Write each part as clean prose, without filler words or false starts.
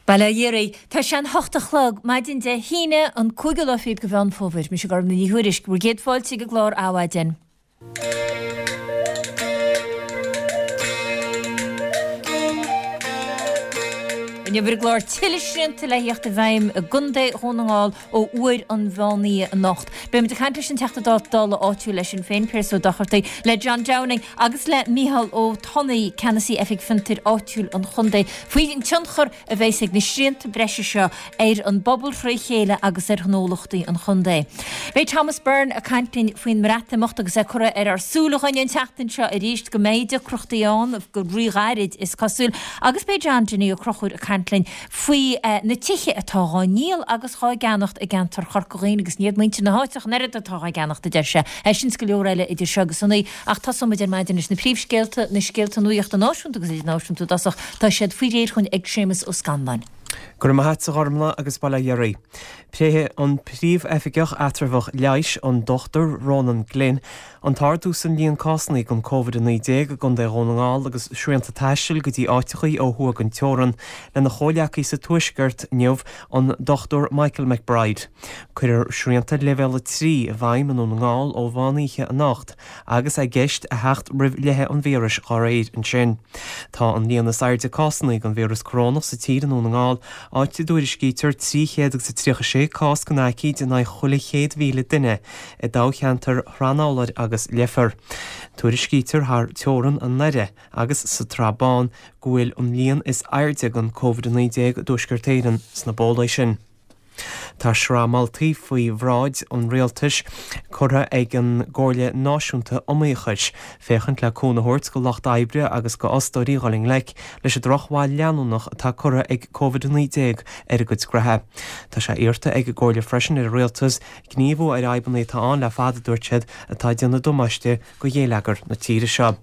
Bail ó Dhia oraibh. Tá sé an hocht a chlog, maidin Dé hAoine, an cúigiú lá fichead de Mheán Fómhair. Mise Gormfhlaith Ní Thuairisg, bhur gcéad fáilte ag an gclár Adhmhaidin. Inniu ar an gclár tuilleadh srianta le theacht i bhfeidhm i gContae Dhún na nGall ó uair an mheán oíche anocht. Beimid ag caint leis an Teachta Dála áitiúil le Sinn Féin, Pearse Ó Dochartaigh, le John Downing agus le Micheál Ó Tonnaigh, Ceannasaí Oifig Fiontair Áitiúil an Chontae, faoin tionchar a bheas ag na srianta breise seo ar an bpobal fré chéile agus ar ghnólachtaí an chontae. Beidh Thomas Byrne ag caint linn faoin mBreatimeacht agus é curtha ar ár súile againn an tseachtain seo arís go mbeidh deacrachtaí ann go ríghairid is cosúil agus beidh John Dinny Ó Conchúir ag caint linn faoi na tithe atá dhá ndíol agus dhá gceannacht i gceantar Chorca Dhuibhne agus ní hiad muintir na háite ach an oiread atá dhá gceannacht a deir sé. É sin is go leor eile idir seo agus a naoi ach tosóimid ar maidin leis na príomhscéalta, na scéalta nuachta náisiúnta agus idirnáisiúnta i dtosach. Tá siad faoi réir chugainn ag Séamus Ó Scanláin. Go raibh maith a't a Ghormfhlaith agus bail ó Dhia oraibh. Pléifidh an Príomh-Oifigeach Eatramhach Leighis, an Dr Ronan Glynn, an t-ardú san líon cásanna den Covid-19 i gContae Dhún na nGall agus srianta taistil go dtí áiteachaí ó thuaidh den teorann lena chomhleacaí sa Tuaisceart inniu, an Dr Michael McBride. Cuirfear srianta Leibhéal 3 i bhfeidhm i nDún na nGall ó mheán oíche anocht. agus é i gceist a theacht roimh leitheadh an víris dá réir ansin. Tá an líon is airde cásanna den víreas corónach sa tír i nDún na nGall, áit a dtuairiscítear 336 cás den aicíd in aghaidh chuile 100,000 duine i dtoghcheantair Shrath an Fhoghlair agus Leifear. Tuairiscítear thar teorann i nDoire agus sa tSrath Bán go bhfuil an líon is airde den Covid-19 i dTuaisceart Éireann sna bólaí sin. Tá sraith moltaí faoi bhráid an Rialtais curtha ag an gComhairle Náisiúnta Iomaíochais féachaint le cúnamh a thabhairt go lucht oibre agus go fhostóirí dhul i ngleic leis an drochbhail leanúnach atá curtha ag Covid-19 ar a gcuid gnoithe. Tá sé iarrta ag an gComhairle freisin ar an Rialtas gníomhú ar fhadhbanna atá ann le fada, a dúirt siad, atá ag déanamh damáiste go ghéilleagar na tíre seo.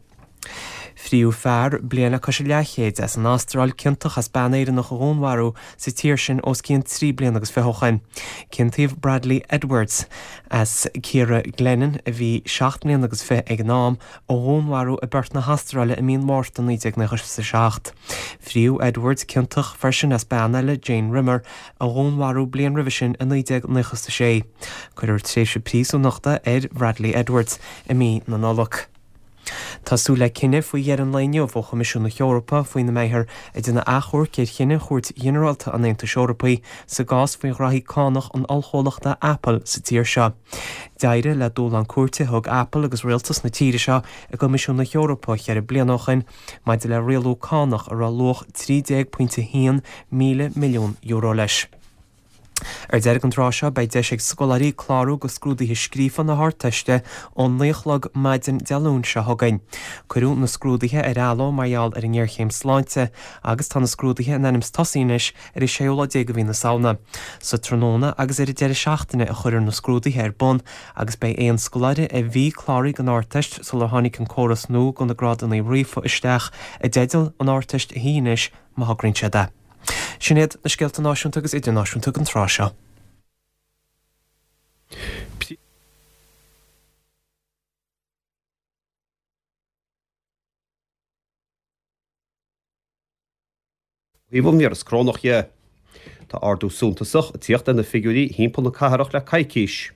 Fríodh fear, bliain le cois a leathchéid, as an Astráil ciontach as bean Éireannach a dhúnmharú sa tír sin os cionn 23 bliana agus ó shin. Ciontaíodh Bradley Edwards, as Ciara Glennon, a bhí 7 mbliana agus fiche ag an am, ó dhúnmharú i bPerth na hAstráile i mí an Mhárta 1997. Fríodh Edwards ciontach freisin as bean eile, Jane Rimmer, a dhúnmharú bliain roimhe sin i 1996. Cuirfear tréimhse príosúnachta ar Bhradley Edwards i mí na Nollag. Tá súil le cinneadh faoi dheireadh an lae inniu ó Choimisiún na hEorpa faoina mbeifear ag déanamh achomhairc ar chinneadh Chúirt Ghinearálta an Aontais Eorpaigh sa gcás faoi ghraithí cánach an ollchomhlachta Apple sa tír seo. D'éirigh le dúshlán cúirte a thug Apple agus rialtas na tíre seo i gCoimisiún na hEorpa cheithre bliana ó shin maidir le rialú cánach a raibh luach €13.1 míle milliún leis. Ar deireadh an tráth seo beidh deis ag scoláirí clárú go scrúduithe scríofa na hArdteiste ón 9 a chlog maidin Dé Luain seo chugainn. Cuireadh na scrúduithe ar athló mar gheall ar an ngéarchéim sláinte agus tá na scrúduithe in ainm is tosaí anois ar an séú lá déag de mhí na Samhna. Sa tráthnóna agus ar an deireadh seachtaine a chuirfear na scrúduithe ar bun agus beidh aon scoláire a bhí cláraithe don Ardteist sular tháinig an córas nua do na grádanna ríofa isteach i dteideal an Ardteist a shuí anois má thograíonn siad é. Sin iad na scéalta náisiúnta agus idirnáisiúnta don tráth seo. thaobh an víreas corónach dhe. Tá ardú suntasach ag tíocht ar na figiúirí thimpeall na cathrach le coicís.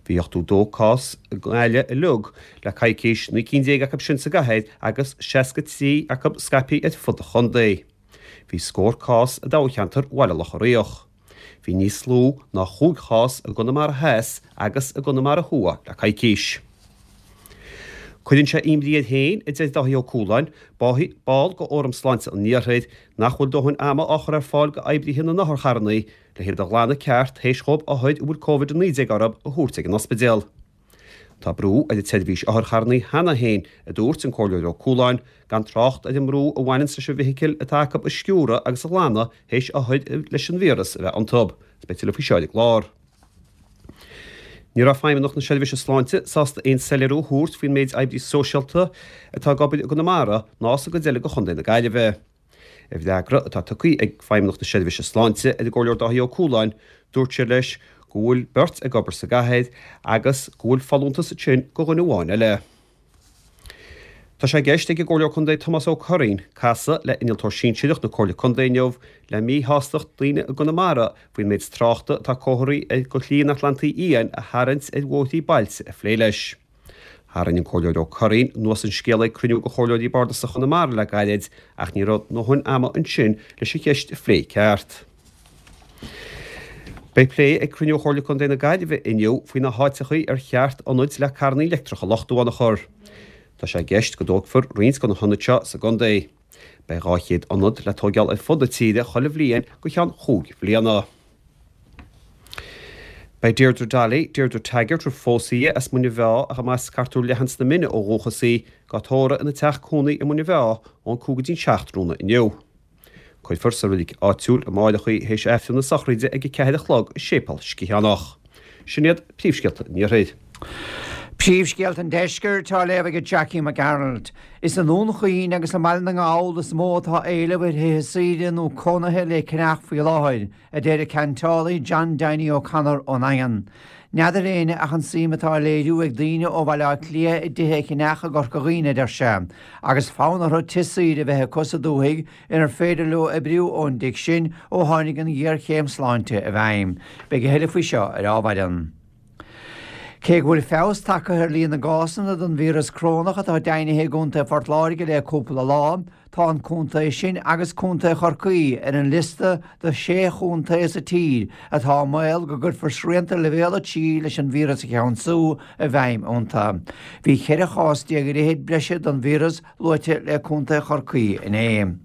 Bhí 82 cás i nGaillimh uilig le coicís, 19 cinn acu sin sa gcathair agus 63 acu scaipthe ar fud an chontae. Bhí scór cás i dtoghcheantar Bhaile Locha Riach. Bhí níos lú ná chúig chás i gConamara Theas agus i gConamara Thuaidh le coicís. Cuireann sé imní air féin, a deir Dáithí Ó Cualáin, ball de Fhóram Sláinte an Iarthair, nach bhfuil dóthain ama á chur ar fáil d'oibrithe na n-otharcharranna le hiad a ghlanadh ceart théis dhóibh othair a bhfuil Covid-19 orthu a thabhairt ag an ospidéal. Tá brú ar an tseirbhís otharcharranna cheana féin, a dúirt an Comhairleoir Ó Cualáin, gan trácht ar an mbrú a bhaineanns leis an bhfeithicil atá acu a sciúradh agus a ghlanadh théis othair leis an víreas a bheith iontu. Beidh tuilleadh faoi seo ar an gclár. Ní raibh Feidhmeannacht na Seirbhíse Sláinte sásta aon soiléiriú a thabhairt faoin méid oibrí sóisialta atá ag obair i gConamara ná sa gcuid eile de Chontae na Gaillimhe. I bhfreagra atá tugtha ag Feidhmeannacht na Seirbhíse Sláinte ar an gComhairleoir Dáithí Ó Cualáin, dúirt siad leis go bhfuil beirt ag obair sa gcathair agus go bhfuil folúntas ansin do dhuine amháin eile. Tá sé i gceist ag an gComhairleoir Contae Tomás Ó Curraoin casadh le Innealtóir Sinsearach na Comhairle Contae inniu le míshástacht daoine i gConamara faoin méid tráchta atá comharthaí do Shlí an Atlantaigh Fhiáin a tharraingt ar bhóithrí bailte a phlé leis. Tharraing an Comhairleoir Ó Curraoin anuas an scéal ag cruinniú de Chomhairleoirí Bardasacha Chonamara le gairid ach ní raibh a ndóthain ama ansin leis an cheist a phlé i gceart. Beidh plé ag cruinniú Chomhairle Contae na Gaillimhe inniu faoi na háiteachaí ar cheart ionaid le carrannaí leictreacha a luchtú ann a chur. Tá sé i gceist go dtógfar roinnt de na hionaid seo sa gcontae. Beidh 200 ionad le tóigeáil ar fud na tíre chuile bhliain go cheann chúig bhliana. Beidh Deirdre Dolly, Deirdre Taggart, ar phós í as Muine Mheá ach ab as Cartúr Leathan sna Mine ó dhúchas í, á tórramh ina teach cónaí i Muine Mheá ón 5 go dtí'n 7 tráthnóna inniu. Cuirfear sa reilig áitiúil amáireach í théis Aifreann na sochraide ag 4 a chlog i Séipéal Sciathánach. Sin iad príomhscéalta an Iarthair. Príomhscéalta an Deiscirt á léamh ag Jackie Mac Gearailt. Is i nDún Chaoin agus i mBaile na nGall is mó atá éileamh ar thithe saoire nó cónaithe le ceannach faoi láthair, a deir an ceantálaí John Donie O'Connor ón nDaingean. N'fheadar éinne ach an suim atá á léiriú ag daoine ó Bhaile Átha Cliath i dtithe a cheannach i gCorca Dhuibhne, a deir sé, agus fonn orthu tigh saoire a bheith acu sa dúthaigh inar féidir leo oibriú ón dtigh sin ó tháinig an ghéarchéim sláinte i bhfeidhm. Beidh a thuilleadh faoi seo ar ámhairean. Cé go bhfuil feabhas tagtha ar líon na gcásanna den víreas corónach atá deimhnithe i gContae Phort Láirge le cúpla lá, tá an contae sin agus Contae Chorcaí ar an liosta de shé chontae sa tír atá i mbaol go gcuirfear srianta Leibhéal 3 leis an víreas a cheansú i bhfeidhm iontu. Bhí 14 chás ar fhichid breise den víreas luaite le Contae Chorcaí inné.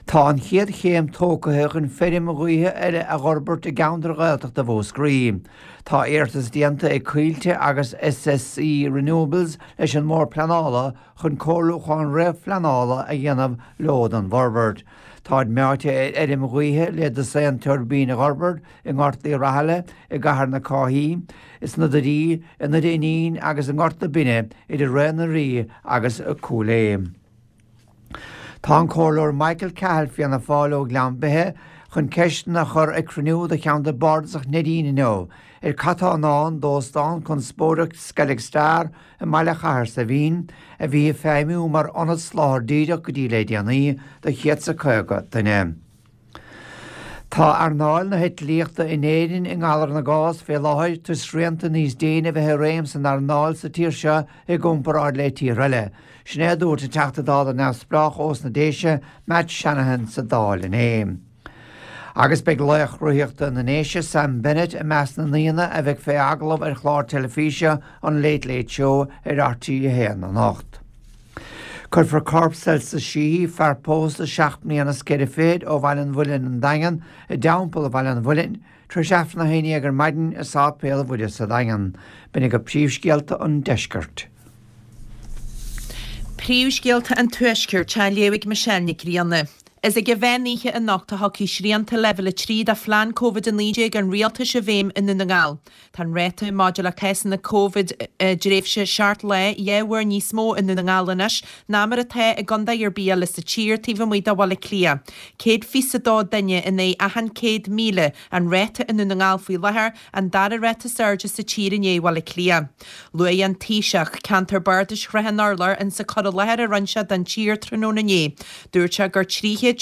Tá an chéad chéim tógtha chun feirm ghaoithe eile a dh'fhorbairt i gceantar Ghaeltachta Mhúscraí. Tá iarratas déanta ag Coillte agus SSE Renewables leis an mBord Pleanála chun comhairliúchán réamhphleanála a dhéanamh leo don bhforbairt. Táid meáite ar fheirm ghaoithe le dosaen tuirbín a dh'fhorbairt i nGort Uí Rathaille, i gCathair na Cáithí, sna Doirí, i nDoire Fhínín agus i nGort na Binne idir Rae na Rí agus Cúil Aodha. Tá an Comhairleoir Michael Cahill, Fianna Fáil ó Ghleann Beithe, chun ceisteanna a chur ag cruinniú de Cheantar Bardasach Neidín inniu ar cad tá i ndán d'óstán conspóideach Skellig Star i mBaile Chathair Saidhbhín, a bhí ag feidhmiú mar ionad soláthair díreach go dtí le déanaí do 150 duine. Tá earnáil na heitlíochta in Éirinn i ngalar na gcás fé láthair toisc srianta níos déine a bheith i réim san earnáil sa tír seo i gcomparáid le tíortha eile. Sin é a dúirt an Teachta Dála neamhspleách ós na Déise, Matt Shanahan sa Dáil inné. Agus beidh laoch rothaíochta na nDéise, Sam Bennett, i measc na n-aíonna a bheidh fé agallamh ar chlár teilifíse an Late Late Show ar RTÉ 1 anocht. Cuirfear corp Celsus Sheehy, fear pósta seacht mbliana is ceithre fichid ó Bhaile an Mhuilinn, an Daingean, i dTeampall Bhaile an Mhuilinn, tar éis Aifreann a haon dhéag ar maidin i Sáipéal Mhuire sa Daingean. B'in agaibh príomhscéalta an deiscirt. Príomhscéalta an Tuaiscirt á léamh ag Michelle Nic Grianna. Is ag an mheán oíche anocht a thiocfaidh srianta Leibhéal 3 de phlean Covid-19 an Rialtais i bhfeidhm i nDún na nGall. Tá an ráta maidir le cásanna Covid i dtréimhse 7 lá 2 uair níos mó i nDún na nGall anois ná mar atá i gcontae ar bith eile sa tír taobh amuigh de Bhaile Átha Cliath. 122 duine in aghaidh achan 100,000 an ráta i nDún na nGall faoi láthair, an dara ráta is airde sa tír i ndiaidh Bhaile Átha Cliath. Luaigh an Taoiseach ceantar bardais Shrath an Urláir insa cur i láthair a rinne sé don tír tráthnóna inné. Dúirt sé gur 336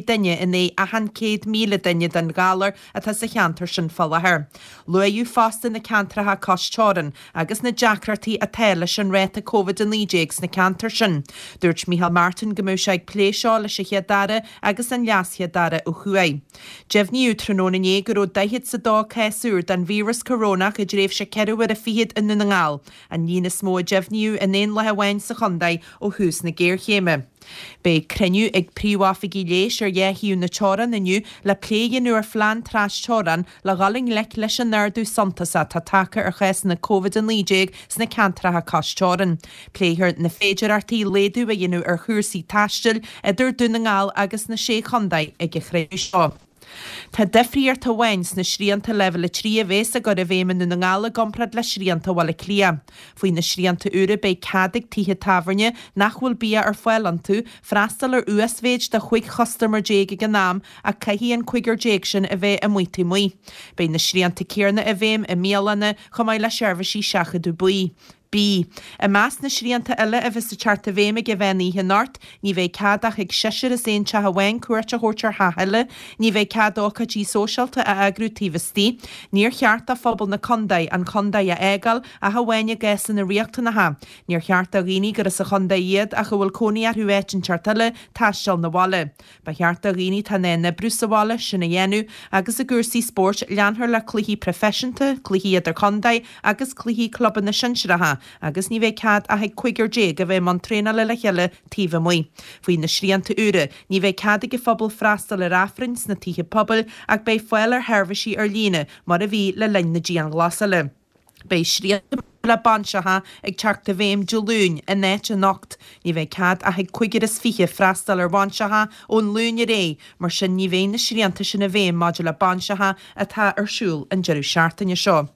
duine in aghaidh achan 100,000 duine den ghalar atá sa cheantar sin fá láthair. Luaíodh fosta na ceantracha cois teorann agus na deacrachtaí atá leis an ráta Covid-19 sna ceantair sin. Dúirt Micheál Martin go mbeadh sé ag plé seo leis an Chéad-Aire agus an LeasChéad-Aire ó thuaidh. Deimhníodh tráthnóna inné go raibh daichead 's a dó cás úr den víreas corónach i dtréimhse ceithre huaire fichead i nDún na nGall, an líon is mó a deimhníodh in aon lá amháin sa chontae ó thús na géarchéime. Beidh cruinniú ag príomhoifigigh leighis ar dhá thaobh na teorann inniu le plé a dhéanamh ar phlean trasteorann le dhul i ngleic leis an ardú suntasach atá tagtha ar chásanna Covid-19 sna ceantracha cois teorann. Pléifear na féidearthachtaí laghdú a dhéanamh ar chúrsaí taistil idir Dún na nGall agus na Sé Chontae ag an chruinniú seo. Tá difríocht amháin sna srianta Leibhéal 3 a bhéas á gcur i bhfeidhm i nDún na nGall i gcomparáid le srianta Bhaile Átha Cliath. Faoi na srianta úra beidh cead ag tithe tábhairne nach bhfuil bia ar fáil iontu freastal ar uasmhéid de 15 chustaiméir ag an am ach caithfidh an cúigear déag sin a bheith amuigh taobh amuigh. Beidh na srianta céanna i bhfeidhm i mbialanna chomh maith le seirbhísí seachadadh bídh. B. I measc na srianta eile a bheas ag teacht i bhfeidhm ag an mheán oíche anocht, ní bheidh cead ach ag seisear as aon teach amháin cuairt a thabhairt ar theach eile, ní bheidh cead ócáidí sóisialta a eagrú taobh istigh, níor cheart do phobal na contae an chontae a fhágáil ach amháin i gcásanna riachtanacha, níor cheart do dhaoine gur as an chontae iad ach a bhfuil cónaí orthu áit inteacht eile taisteal 'na bhaile. Ba cheart do dhaoine atá in ann oibriú sa bhaile sin a dhéanamh agus i gcúrsaí spóirt leanfar le cluichí proifisiúnta, cluichí idirchontae agus cluichí clubanna sinsearacha agus ní bheidh cead ach ag cúigear a bheith i mbun traenála le chéile taobh amuigh. Faoi na srianta úra, ní bheidh cead ag an phobal freastal ar Aifrinn sna tithe pobail ach beidh fáil ar sheirbhísí ar líne mar a bhí le linn na dianghlasála. Beidh srianta le bainseacha ag teacht i bhfeidhm Dé Luain in áit anocht. Ní bheidh cead ach ag cúigear is 20 freastal ar bhainseacha ón Luan ar aghaidh, mar sin ní bheidh na srianta sin i bhfeidhm maidir le bainseacha atá ar siúl an deireadh seachtaine seo.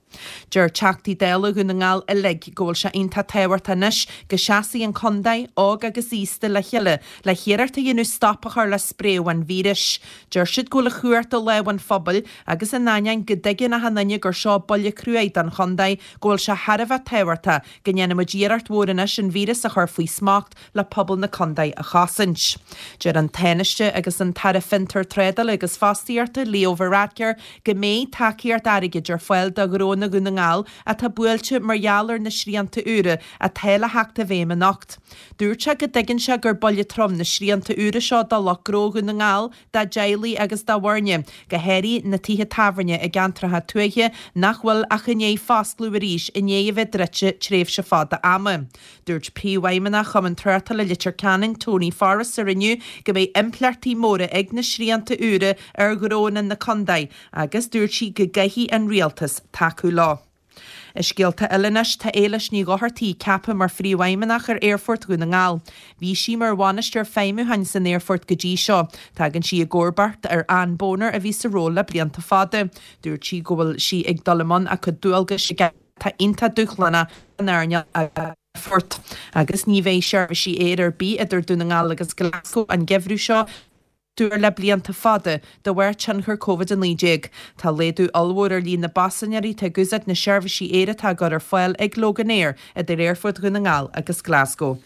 Deir Teachtaí Dála Dhún na nGall uilig go bhfuil sé iontach tábhachtach anois go seasfaidh an contae, óg agus aosta, le chéile le hiarracht a dhéanamh stop a chur le spréadh an víris. Deir siad go bhfuil an chumhacht i lámha an phobail Agus in ainneoin go dtuigeann achan duine gur seo buille cruaidh don chontae, go bhfuil sé thar a bheith tábhachtach go ndéanfaidh muid iarracht mhór anois an víreas a chur faoi smacht le pobal na contae a chosaint. Deir an Tánaiste agus an tAire Fiontar, Trádála agus Fostaíochta, Leo Varadkar, go mbeidh tacaíocht airgid ar fáil do ghnónna Dhún na nGall atá buailte mar gheall ar na srianta úra atá le theacht i bhfeidhm anocht. Dúirt sé go dtuigeann sé gur buille trom na srianta úra seo do lucht gnó Dhún na nGall, dá dteaghlaigh agus dá bhfoirne, go háirithe na tithe tábhairne i gceantracha tuaithe nach bhfuil ach i ndiaidh foscladh arís i ndiaidh a bheith druidte tréimhse fada ama. Dúirt Príomhfheidhmeannach Chumann Tráchtála Leitir Ceanainn, Tony Forrester inniu go mbeidh impleachtaí móra ag na srianta úra ar ghnónna na contae agus dúirt sí go gcaithfidh an Rialtas tacú leo. I scéalta eile anois, tá Éilis Ní Dhochartaigh ceaptha mar Phríomhfheidhmeannach ar Aerfort Dhún na nGall. Bhí sí mar Bhainisteoir Feidhmiúcháin san aerfort go dtí seo. Tagann sí i gcomharbacht ar Ann Boner a bhí sa ról le blianta fada. Dúirt sí go bhfuil sí ag dul i mbun a cuid dualgais i gceart atá iontach dúshlánach don earnáil aerfoirt. Agus ní bheidh seirbhísí aeir ar bith idir Dún na nGall agus Glasgow an geimhreadh seo. uair le blianta fada de bharr tionchar Covid-19. Tá laghdú ollmhór ar líon na bpaisinéirí atá ag úsáid na seirbhísí aeir atá á gcur ar fáil ag Loganair idir Aerfort Dhún na nGall agus Glasgow.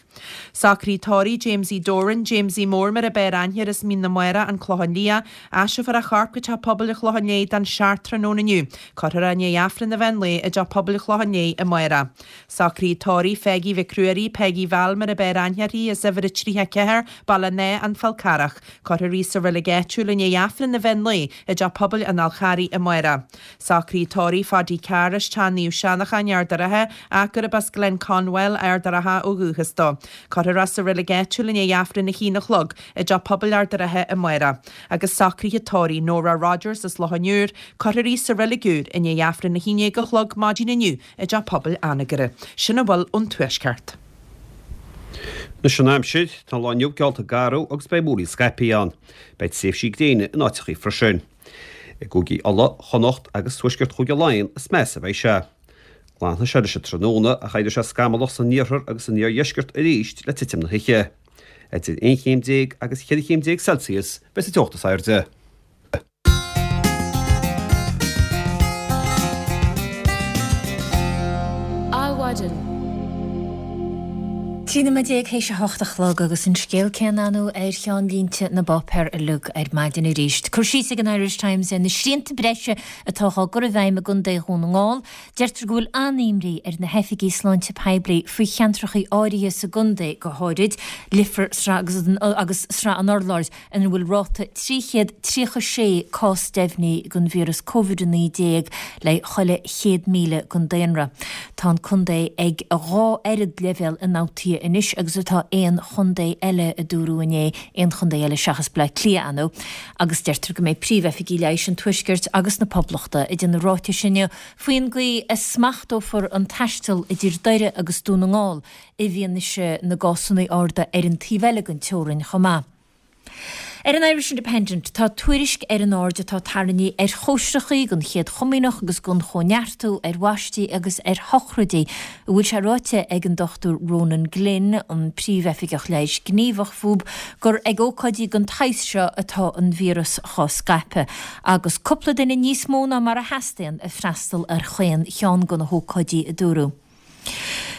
Socruithe tórraimh Jamesie Doran, Jamesie Mór mar ab fhearr aithne air as Mín na Mara, An Clochán Liath, Aistreofar a chorp go Teach Pobail an Chlocháin Léith don 7 tráthnóna inniu. Cuirfear é i ndiaidh Aifreann an mheán lae i dTeach Pobail an Chlocháin Léith amárach. Socruithe tórraimh Pheigí Mhic Ruairí, Peigí Val mar ab fhearr aithne uirthi, as uimhir a 34, Baile an Átha, An Fál Carrach. Cuirfear í sa reilig áitiúil i ndiaidh Aifreann an mheán lae i dTeach Pobail an Fháil Charraigh amárach. Socruithe tórraimh Phaidí Carr as Teach Naomh Seanachán, Ard a' Rátha, ach gurb as Glen Conwell, Ard a' Rátha ó dhúchas dó. Cuirfear é sa reilig áitiúil i ndiaidh Aifreann a haon a chlog i dTeach Pobail Ard a' Rátha amárach. Agus socruithe tórraimh Nóra Rodgers as Loch an Iúir, cuirfear í sa reilig úr i ndiaidh Aifreann a haon déag a chlog maidin inniu i dTeach Pobail Anagaire. Sin a bhfuil ón Tuaisceart. Anois an aimsir, tá an lá inniu geallta garbh agus beidh múraíl scaipthe ann. Beidh tréimhsí gréine in áiteachaí freisin. I gcúigí Uladh, Chonnacht agus tuaisceart Chúige Laighean is measa a bheidh sé. Glanfaidh sé leis an tráthnóna ach éireoidh sé scamallach san iarthar agus san iardheisceart arís le titim na hoíche. Idir 11 chéim agus 14 chéim Celsius beidh sa teocht is airde. Adhmhaidin. 13 nóiméad théis a hocht a chlog agus an scéal céanna ann ar cheannlínte na bpáipéar uilig ar maidin arís. Cur síos ag an Irish Times ar na srianta breise atá á gcur i bhfeidhm i gContae Dhún na nGall. Deirtear go bhfuil an-imní ar na hoifigigh sláinte poiblí faoi cheantracha áirithe sa gcontae, go háirid Leifear agus Srath an Urláir. ina bhfuil ráta 336 cás deimhnithe den víreas Covid-19 le chuile 100,000 den daonra. Tá an contae ag a dhá oiread leibhéal ionfhabhtaithe anois agus atá aon chontae eile, a dúradh inné, aon chontae eile seachas Bleá Cliath, ar ndóigh. Agus deirtear go mbeidh príomhoifigigh leighis an Tuaiscirt agus na Poblachta ag déanamh ráitis inniu faoin gcaoi a smachtófar an taisteal idir Doire agus Dún na nGall i bhfianaise na gcásanna arda ar an taobh eile den teorainn chomh maith. Ar an Irish Independent, tá tuairisc ar an aird atá tarraingthe ar chóisreachaí don Chéad Chomaoineach agus don Chóineartú, ar bhaistí agus ar shochraidí, a bhfuil sé ráite ag an Dr Ronan Glynn, an Príomhoifigeach Leighis Gníomhach fúb, gur ag ócáidí den tsaghas seo atá an víreas chá scaipeadh, agus cúpla duine níos mó ná mar a theastaíonn ag freastal ar chaon cheann de na hócáidí, a dúradh.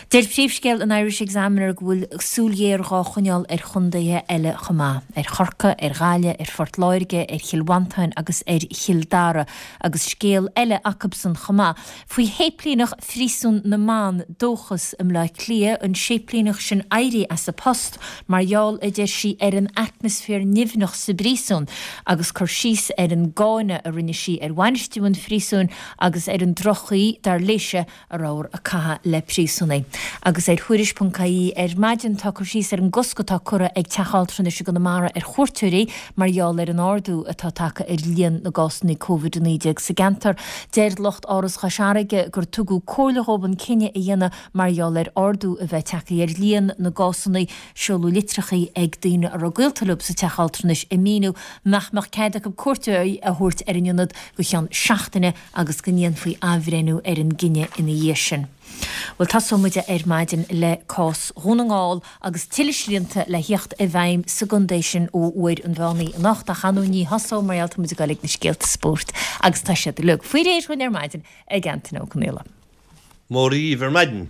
Deir príomhscéal an Irish Examiner go bhfuil súil ghéar dhá choinneáil ar chontaetha eile chomh maith, ar Chorcaigh, ar Ghaillimh, ar Phort Láirge, ar Chill Mhantáin agus ar Chill Dara, agus scéal eile acubsan chomh maith, faoi shéiplíneach Phríosún na mBan, Dóchas, i mBleá Cliath, an séiplíneach sin éirí as a post mar gheall, a deir sí, ar an atmaisféar nimhneach sa bpríosún, agus cur síos ar an gcáineadh a rinne sí ar bhainistiú an phríosúin agus ar an droch-chaoi, dar léise, a rabhthar ag caitheamh le príosúnaigh. Agus ar Thuairisc.ie ar maidin tá cur síos ar an gcosc atá curtha ag Teach Altranais i gConamara ar chuairteoirí mar gheall ar an ardú atá tagtha ar líon na gcásanna Covid-19 sa gceantar. Deir lucht Áras Chois Fharraige gur tugadh comhairle dhóibh an cinneadh a dhéanamh mar gheall ar ardú a bheith tagtha ar líon na gcásanna. Seoladh litreacha ag daoine a raibh gaolta leo sa teach altranais ag míniú nach mbeadh cead acu cuairt a thabhairt ar an ionad go cheann seachtaine agus go ndéanfaí athbhreithniú ar an gcinneadh ina dhiaidh sin. Bhuel, tosóidh muid ar maidin le cás Dhún na nGall agus tuilleadh srianta le theacht i bhfeidhm sa gcontae sin ó uair an mheán oíche anocht ach ar ndóigh ní thosóidh mar gheall tá muid ag dul ag na scéalta spóirt agus tá siad uilig faoi réir dhúinn ar maidin ag Antaine Ó Conaola. Móra dhíbh ar maidin.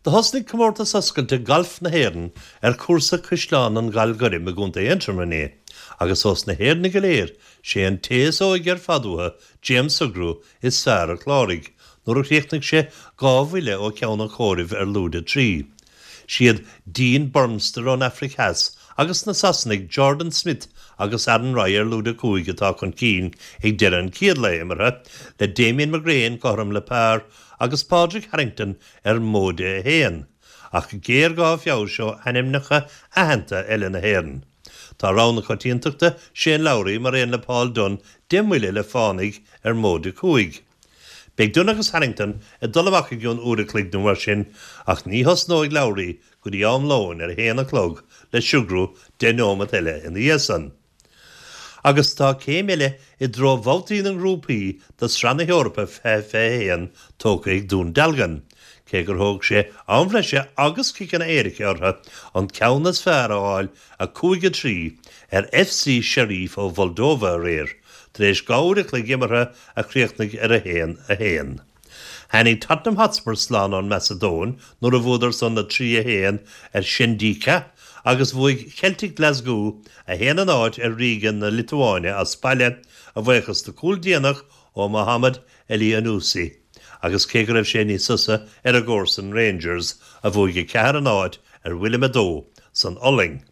Do thosnaigh Comórtas Oscailte Gailf na hÉireann ar chúrsa Caisleán an Ghail Ghoirm i gContae Aontroma inné agus ós na hÉireannaigh go léir sé an té is óige ar fad uathu, James Sugrue, is fearr a chláraigh nuair a chríochnaigh sé 2 bhuille ó cheann an chomhairimh ar lúide 3. Siad Dean Burmester ón Afraic Theas agus na Sasanaigh Jordan Smith agus Aaron Rai ar lúide 5 atá chun cinn ag deireadh an chéad lae imeartha, le Damien McGrane cothrom le par agus Pádraig Harrington ar móide 1, ach géarghá feabhais ó ainmneacha aitheanta eile na hÉireann. Tá rogha na coitiantachta, Shane Lowry, mar aon le Paul Dunne, 10 mbuille le fánaidh ar móide 5. Beidh Dunne agus Harrington ag dul amach i gcionn uair a chloig nó mar sin ach ní thosnóidh Lowry go dtí am lóin ar a haon a chlog le Sugrue 10 neomat eile ina dhiaidh san. Agus tá céim eile i dtreo bhabhtaí na ngrúpaí do Sraith na hEorpa 2021 tógtha ag Dún Dealgan, cé gur thóg sé am bhreise agus ciceanna éirice orthu an ceann is fearr a fháil 5-3 ar FC Sheriff ó Mholdóva aréir, tar éis 2 uair a chloig imeartha a chríochnaigh ar 1, 1. Tháinig Tottenham Hotspur slán ón Macadóin nuair a bhuadar san 3, 1 ar Shkëndija agus bhuaigh Celtic Glasgow 1, 0 ar Riga na Liotuáine as baile, a bhuíochas do chúl déanach ó Mohamed Elyounoussi agus cé go raibh sé níos fusa ar a gcomharsain Rangers a bhuaigh 4, 0 ar Willem II san Ollainn.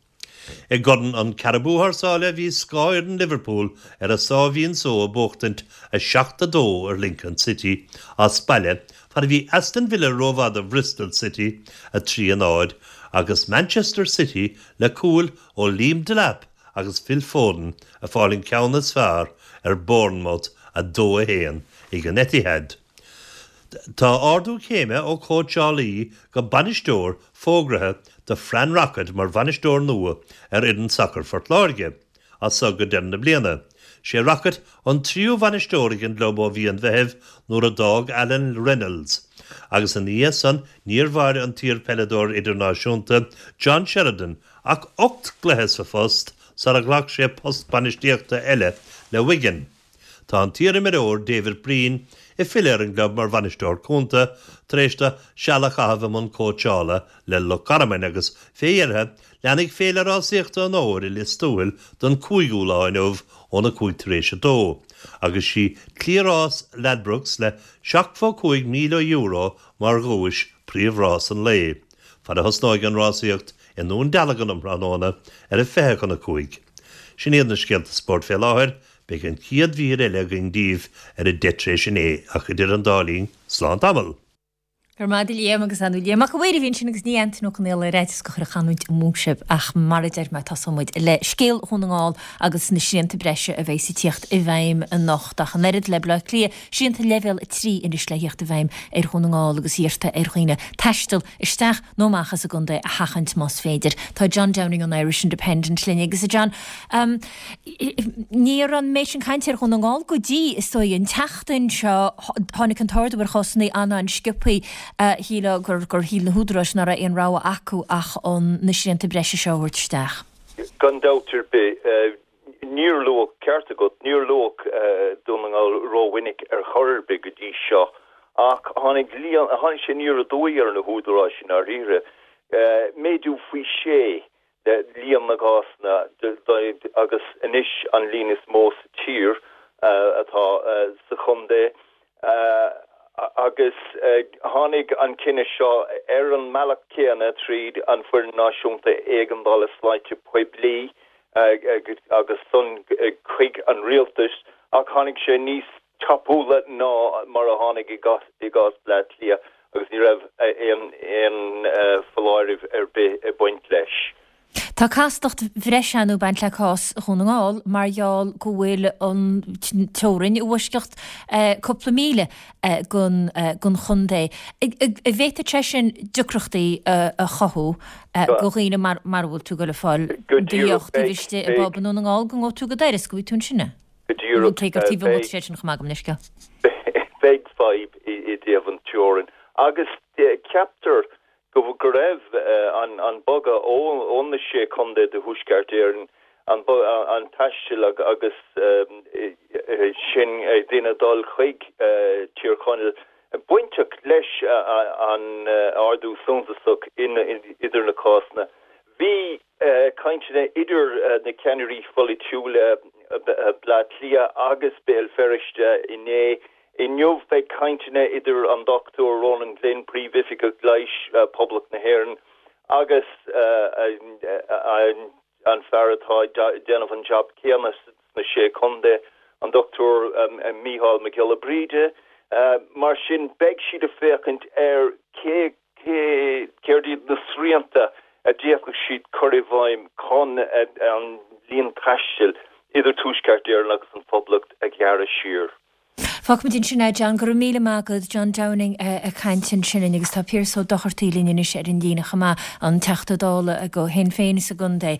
I gCorn an Carabao thar sáile bhí scothfhoireann Liverpool ar a sáimhín só ag buachtaint 7, 2 ar Lincoln City as baile fad a bhí Aston Villa rómhaith do Bhristol City 3, 0 agus Manchester City le cúil ó Liam Delap agus Phil Foden ag fáil an ceann is fearr ar Bournemouth 2, 1 ag an Etihad. Tá ardú céime ó chóitseálaí go bainisteoir fógraithe do Fran Rockett mar bhainisteoir nua ar fhoireann sacair Phort Láirge as so go deireadh na bliana. Sé Rockett an tríú bhainisteoir ag an gclub ó mhí an Mheithimh nuair a d'fhág Alan Reynolds agus ina dhiaidh san níor mhair an t-iar-pheileadóir idirnáisiúnta John Sheridan ach 8 gcluiche sa phost sara ghlac sé post bainistíochta eile le Wigan. Tá an t-iarimreoir David Breen ag filleadh ar an gclub mar bhainisteoir cúnta tar éis dó seal a chaitheamh i mbun cóitseála le Loch Garman agus fé dheireadh leanfaidh Féile Rásaíochta an Fhómhair i Lios Tuathail don cúigiú lá inniu óna 2:05 tar éis agus sí Cliathrás Ladbrokes le €75,000 mar dhuais príomhrás an lae. Fad a thosnóidh an rásaíocht i nDún Dealgan um thráthnóna ar a 4:40. Sin iad na scéalta spóirt fé láthair, beidh an chéad mhír eile againn daoibh ar a 9:10 tar éis ach idir an dá linn, slán tamall! Go raibh maith agat a Liam agus ar ndóigh Liam Mac a' Mhaoir a bhí ansin agus ní Antaine Ó Conaola ar fhaitíos go chuir an chanúint amú sibh ach mar a deir mé tosóidh muid le scéal Dhún na nGall agus na srianta breise a bheas ag tíocht i bhfeidhm anocht ach an oiread le Bleá Cliath, srianta leibhéal 3 anois le thíocht i bhfeidhm ar Dhún na nGall agus iarrtar ar dhaoine taisteal isteach nó amach as an gcontae a sheachaint más féidir. Tá John Downing ón Irish Independent linn agus a John, ní raibh an méid sin cainte ar Dhún na nGall go dtí, is dóigh, an tseachtain seo. Tháinig an t-ardú ar chásanna an-an-sciobthaí. Shílfeá gur gur shíl na húdaráis nach raibh aon rogha acu ach an na srianta breise seo a thabhairt isteach. Gan dabht ar bith. Níor luadh, ceart agat, níor luadh Dún na nGall rómhinic ar chor ar bith go dtí seo. Ach tháinig líon, tháinig sé aniar aduaidh ar na húdaráis i ndáiríre, méadú faoi shé le líon na gcásanna agus anois an líon is mó sa tír atá sa chontae agus tháinig an cinneadh seo ar an mbealach céanna tríd an Foireann Náisiúnta Éigeandála Sláinte Poiblí agus san chuig an rialtas ach tháinig sé níos tapúla ná mar a tháinig i gcás Bleá Cliath agus ní raibh aon foláireamh ar bith ag baint leis. Tá castacht bhreise ann ag baint le cás Dhún na nGall mar gheall go bhfuil an teorainn i bhfoisceacht cúpla míle den chontae. An bhféadfadh sé sin deacrachtaí a chothú do dhaoine mar a bhfuil tú ag dul ag fáil do dheoch taobh istigh i bpub i nDún na nGall go ngabhfaidh tú go Doire is go bhfaighidh tú ansin é? Go díreach. Cé gur taobh amuigh de sin chomh maith gabh mo leithscéal. Beidh fadhb i dtaobh an teorainn agus ceaptar go raibh an bogadh ó na sé chontae de Thuaisceart Éireann, an taisteal agus sin daoine ag dul chuig Tír Chonaill bainteach leis an ardú suntasach idir na cásanna. Bhí cainteanna idir na ceannairí pholaitiúla Bleá Cliath agus Béal Feirste inné. Inniu beidh cainteanna idir an Dr Ronan Glynn, Príomhoifigeach Leighis Poblacht na hÉireann agus an fear atá ag déanamh an jab céanna sna Sé Chontae, an Dr Mícheál Mac Giolla Bríde. Mar sin beidh siad ag féachaint ar cé cé céard iad na srianta a d'fhéadfadh siad cur i bhfeidhm chun an líon taistil idir Tuaisceart Éireann agus an Phoblacht a ghearradh siar. Fágfaimid ansin é, John. Go raibh míle maith agat. John Downing ag caint ansin linn agus tá Pearse Ó Dochartaigh linn anois ar an líne chomh maith, an Teachta Dála do Shinn Féin sa gcontae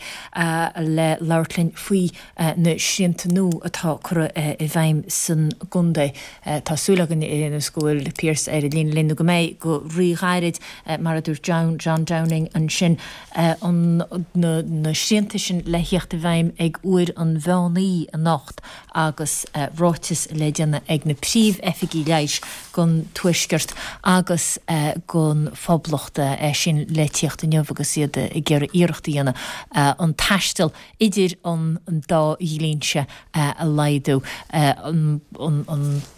le labhairt linn faoi na srianta nua atá curtha i bhfeidhm san gcontae. Tá súil againn ar aon nós go bhfuil Pearse ar an líne linn nó go mbeidh go rí-ghairid, mar a dúirt John, John Downing ansin, an, na, na srianta sin le thíocht i bhfeidhm ag uair an mheán oíche anocht agus ráiteas le déanamh ag na príomh-oifigigh leighis don Tuaisceart agus don Phoblacht, é sin le tíocht inniu agus iad ag iarraidh iarracht a dhéanamh an taisteal idir an dá dhlínse a laghdú, an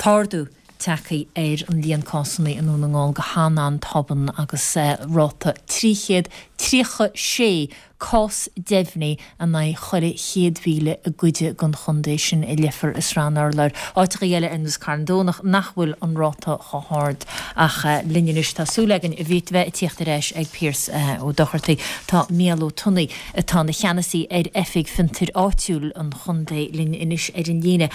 t-ardú tagtha ar an líon cásanna i nDún na nGall go han-an-tobann agus ráta 336 cás deimhnithe in aghaidh chuile 100,000 i gcuid den chontae sin, i Leifear is Srath an Urláir. Áiteachaí eile ar nós Carn Domhnach nach bhfuil an ráta chomh hard. Ach linn anois tá súil againn a bheith ag tíocht ar ais ag Pearse Ó Dochartaigh. Tá Mícheál Ó Tonnaigh atá ina cheannasaí ar Oifig Fiontair Áitiúil an Chontae linn anois ar an líne.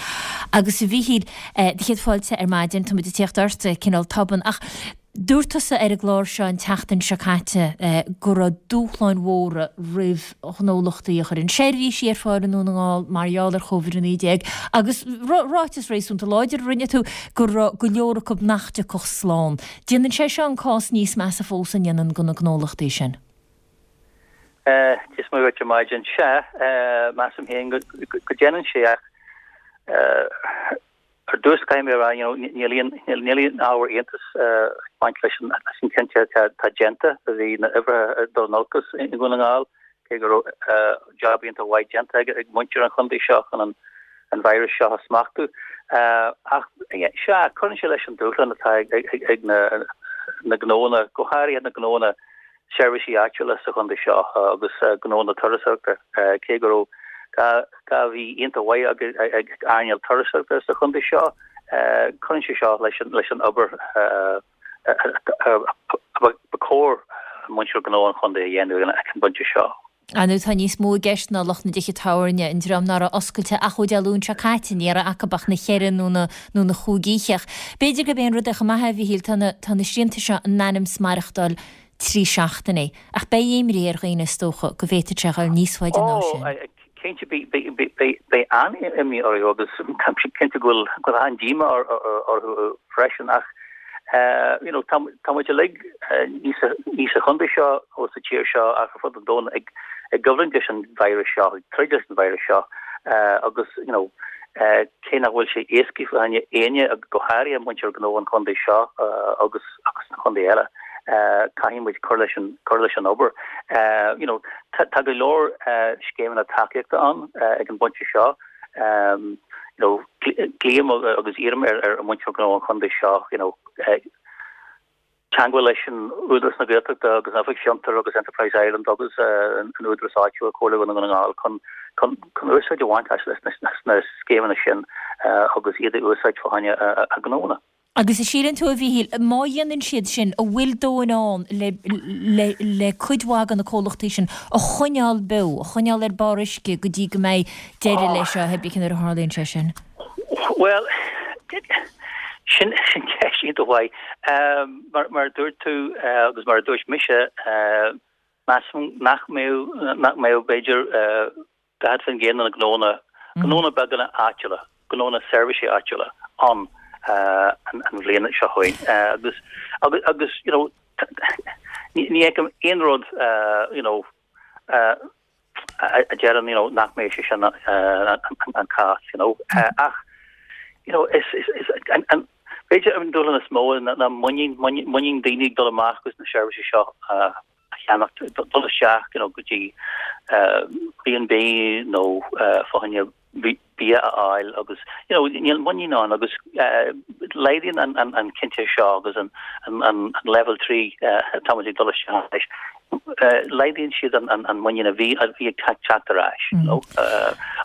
Agus a Mhíchíl, do chéad fáilte ar maidin, tá muid ag tíocht ort cineál tobann ach dúirt tusa ar an gclár seo an tseachtain seo caite go raibh dúshláin mhóra roimh ghnólachtaí a chuireann seirbhísí ar fáil i nDún na nGall mar gheall ar Covid-19 agus ráiteas réasúnta láidir a rinne tú go raibh go leor acu nach dtiocfadh slán. Déanann sé seo an cás níos measa fós an ndéanann do na gnólachtaí sin? Dia is Muire dhuit ar maidin. Sea, measaim féin go ndéanann sé ach ar dtús caithfidh mé a rá, you know, níl aon, níl aon ábhar iontais ag baint leis an, leis an cinntí atá, atá déanta. Bhí na huimhreacha ag dul in olcas i nDún na nGall, cé go raibh job iontach mhaith déanta ag, ag muintir an chontae seo chun an, an virus seo a smachtú. Ach, sea, cuireann sé leis an dúshlán atá ag, ag, ag na, na gnóanna, go háirithe na gnóanna seirbhísí áitiúla sa chontae seo agus gnónna turasóireachta, cé go raibh 2 mhí iontach mhaith ag earnáil turasóireachta sa chontae seo, cuireann sé seo leis an obair a ba chóir muintir gnó an chontae a dhéanamh ag an bpointe seo. Ar ndóigh tá níos mó i gceist ná lucht na dtithe tábhairne, an dream ná raibh oscailte ach ó Dé Luain seo caite, ní raibh acu ach na cheithre nó na nó na chúig oíche. Ach b'fhéidir gurb é an rud é chomh maith, a Mhíchíl, tá na tá na srianta seo in ainm 's maireachtáil trí seachtainí. Ach beidh imní ar dhaoine is dócha go bhféadfadh sé a dhul níos faide ná sin. Ó, cinnte beidh an-imní orthu agus táim cinnte go bhfuil an-díomá orthu freisin ach you know tá muid uilig, ní sa chontae seo nó sa tír seo ach ar fud an domhain ag coimhlint leis an virus seo, ag troid leis an virus seo agus you know. Cé nach bhfuil sé éasca fá choinne éinne, go háirithe muintir gnó an chontae seo agus agus na contaetha eile, caithfidh muid cur leis an cur leis an obair. You know, tá go leor scéimeanna tacaíochta ann ag an bpointe seo. You know, glaoim agus iarraim ar ar muintir gnó an chontae seo, you know, teagmháil leis an Údarás na Gaeltachta agus an Oifig Fiontar agus Enterprise Ireland agus an Údarás Áitiúil, Comhairle Dhún na nGall chun chun chun úsáid a bhaint as na scéimeanna sin agus iad a úsáid fá choinne a ngnónna. Agus an síleann tú, a Mhíchíl, má dhéanann siad sin, an bhfuil dóthain ann le le le cuid mhaith de na comhlachtaí sin a choinneáil beo, a choinneáil ar barr uisce go dtí go mbeidh deireadh leis seo, pé nuair a tharlaíonn sé sin? Bhuel, sin sin ceist iontach mhaith. Mar mar a dúirt tú agus mar a dúirt mise, measaim nach mbeadh nach mbeadh b'fhéidir 40% de na gnónna, gnónna beaga áitiúla, gnónna seirbhísí áitiúla ann an bhliain seo chugainn. Agus agus agus you know ní ní fheicim aon rud you know a deireann you know nach mbeidh sé sin an cás you know ach you know is is is an an b'fhéidir an dúshlán is mó ná muinín muinín daoine ag dul amach agus na seirbhísí seo a cheannacht dul isteach you know go dtí B&B nó fá choinne bia a fháil agus you know níl muinín ann agus laghdaíonn an an an cinnte seo agus an an an level 3 táimid ag dul isteach leis laghdaíonn siad an an an muinín a bhí a bhí ag teacht ar ais you know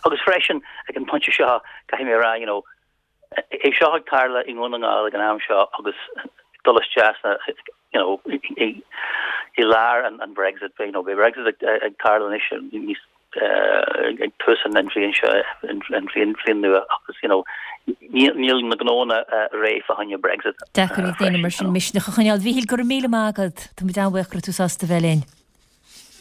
agus freisin ag an pointe seo caithfidh mé a rá you know é seo ag tarlú i nDún na nGall ag an am seo agus dul isteach sna you know i i lár an an Brexit you know beidh Brexit ag ag tarlú anois níos ag tús an bhliain seo, an bhliain bhliain nua agus you know níl na gnónna réidh fá choinne Brexit. Deacair ag daoine mar sin misneach a choinneáil. Mhíchíl, go raibh míle maith agat. Tá muid an-bhuíoch go raibh tú sásta bheith linn.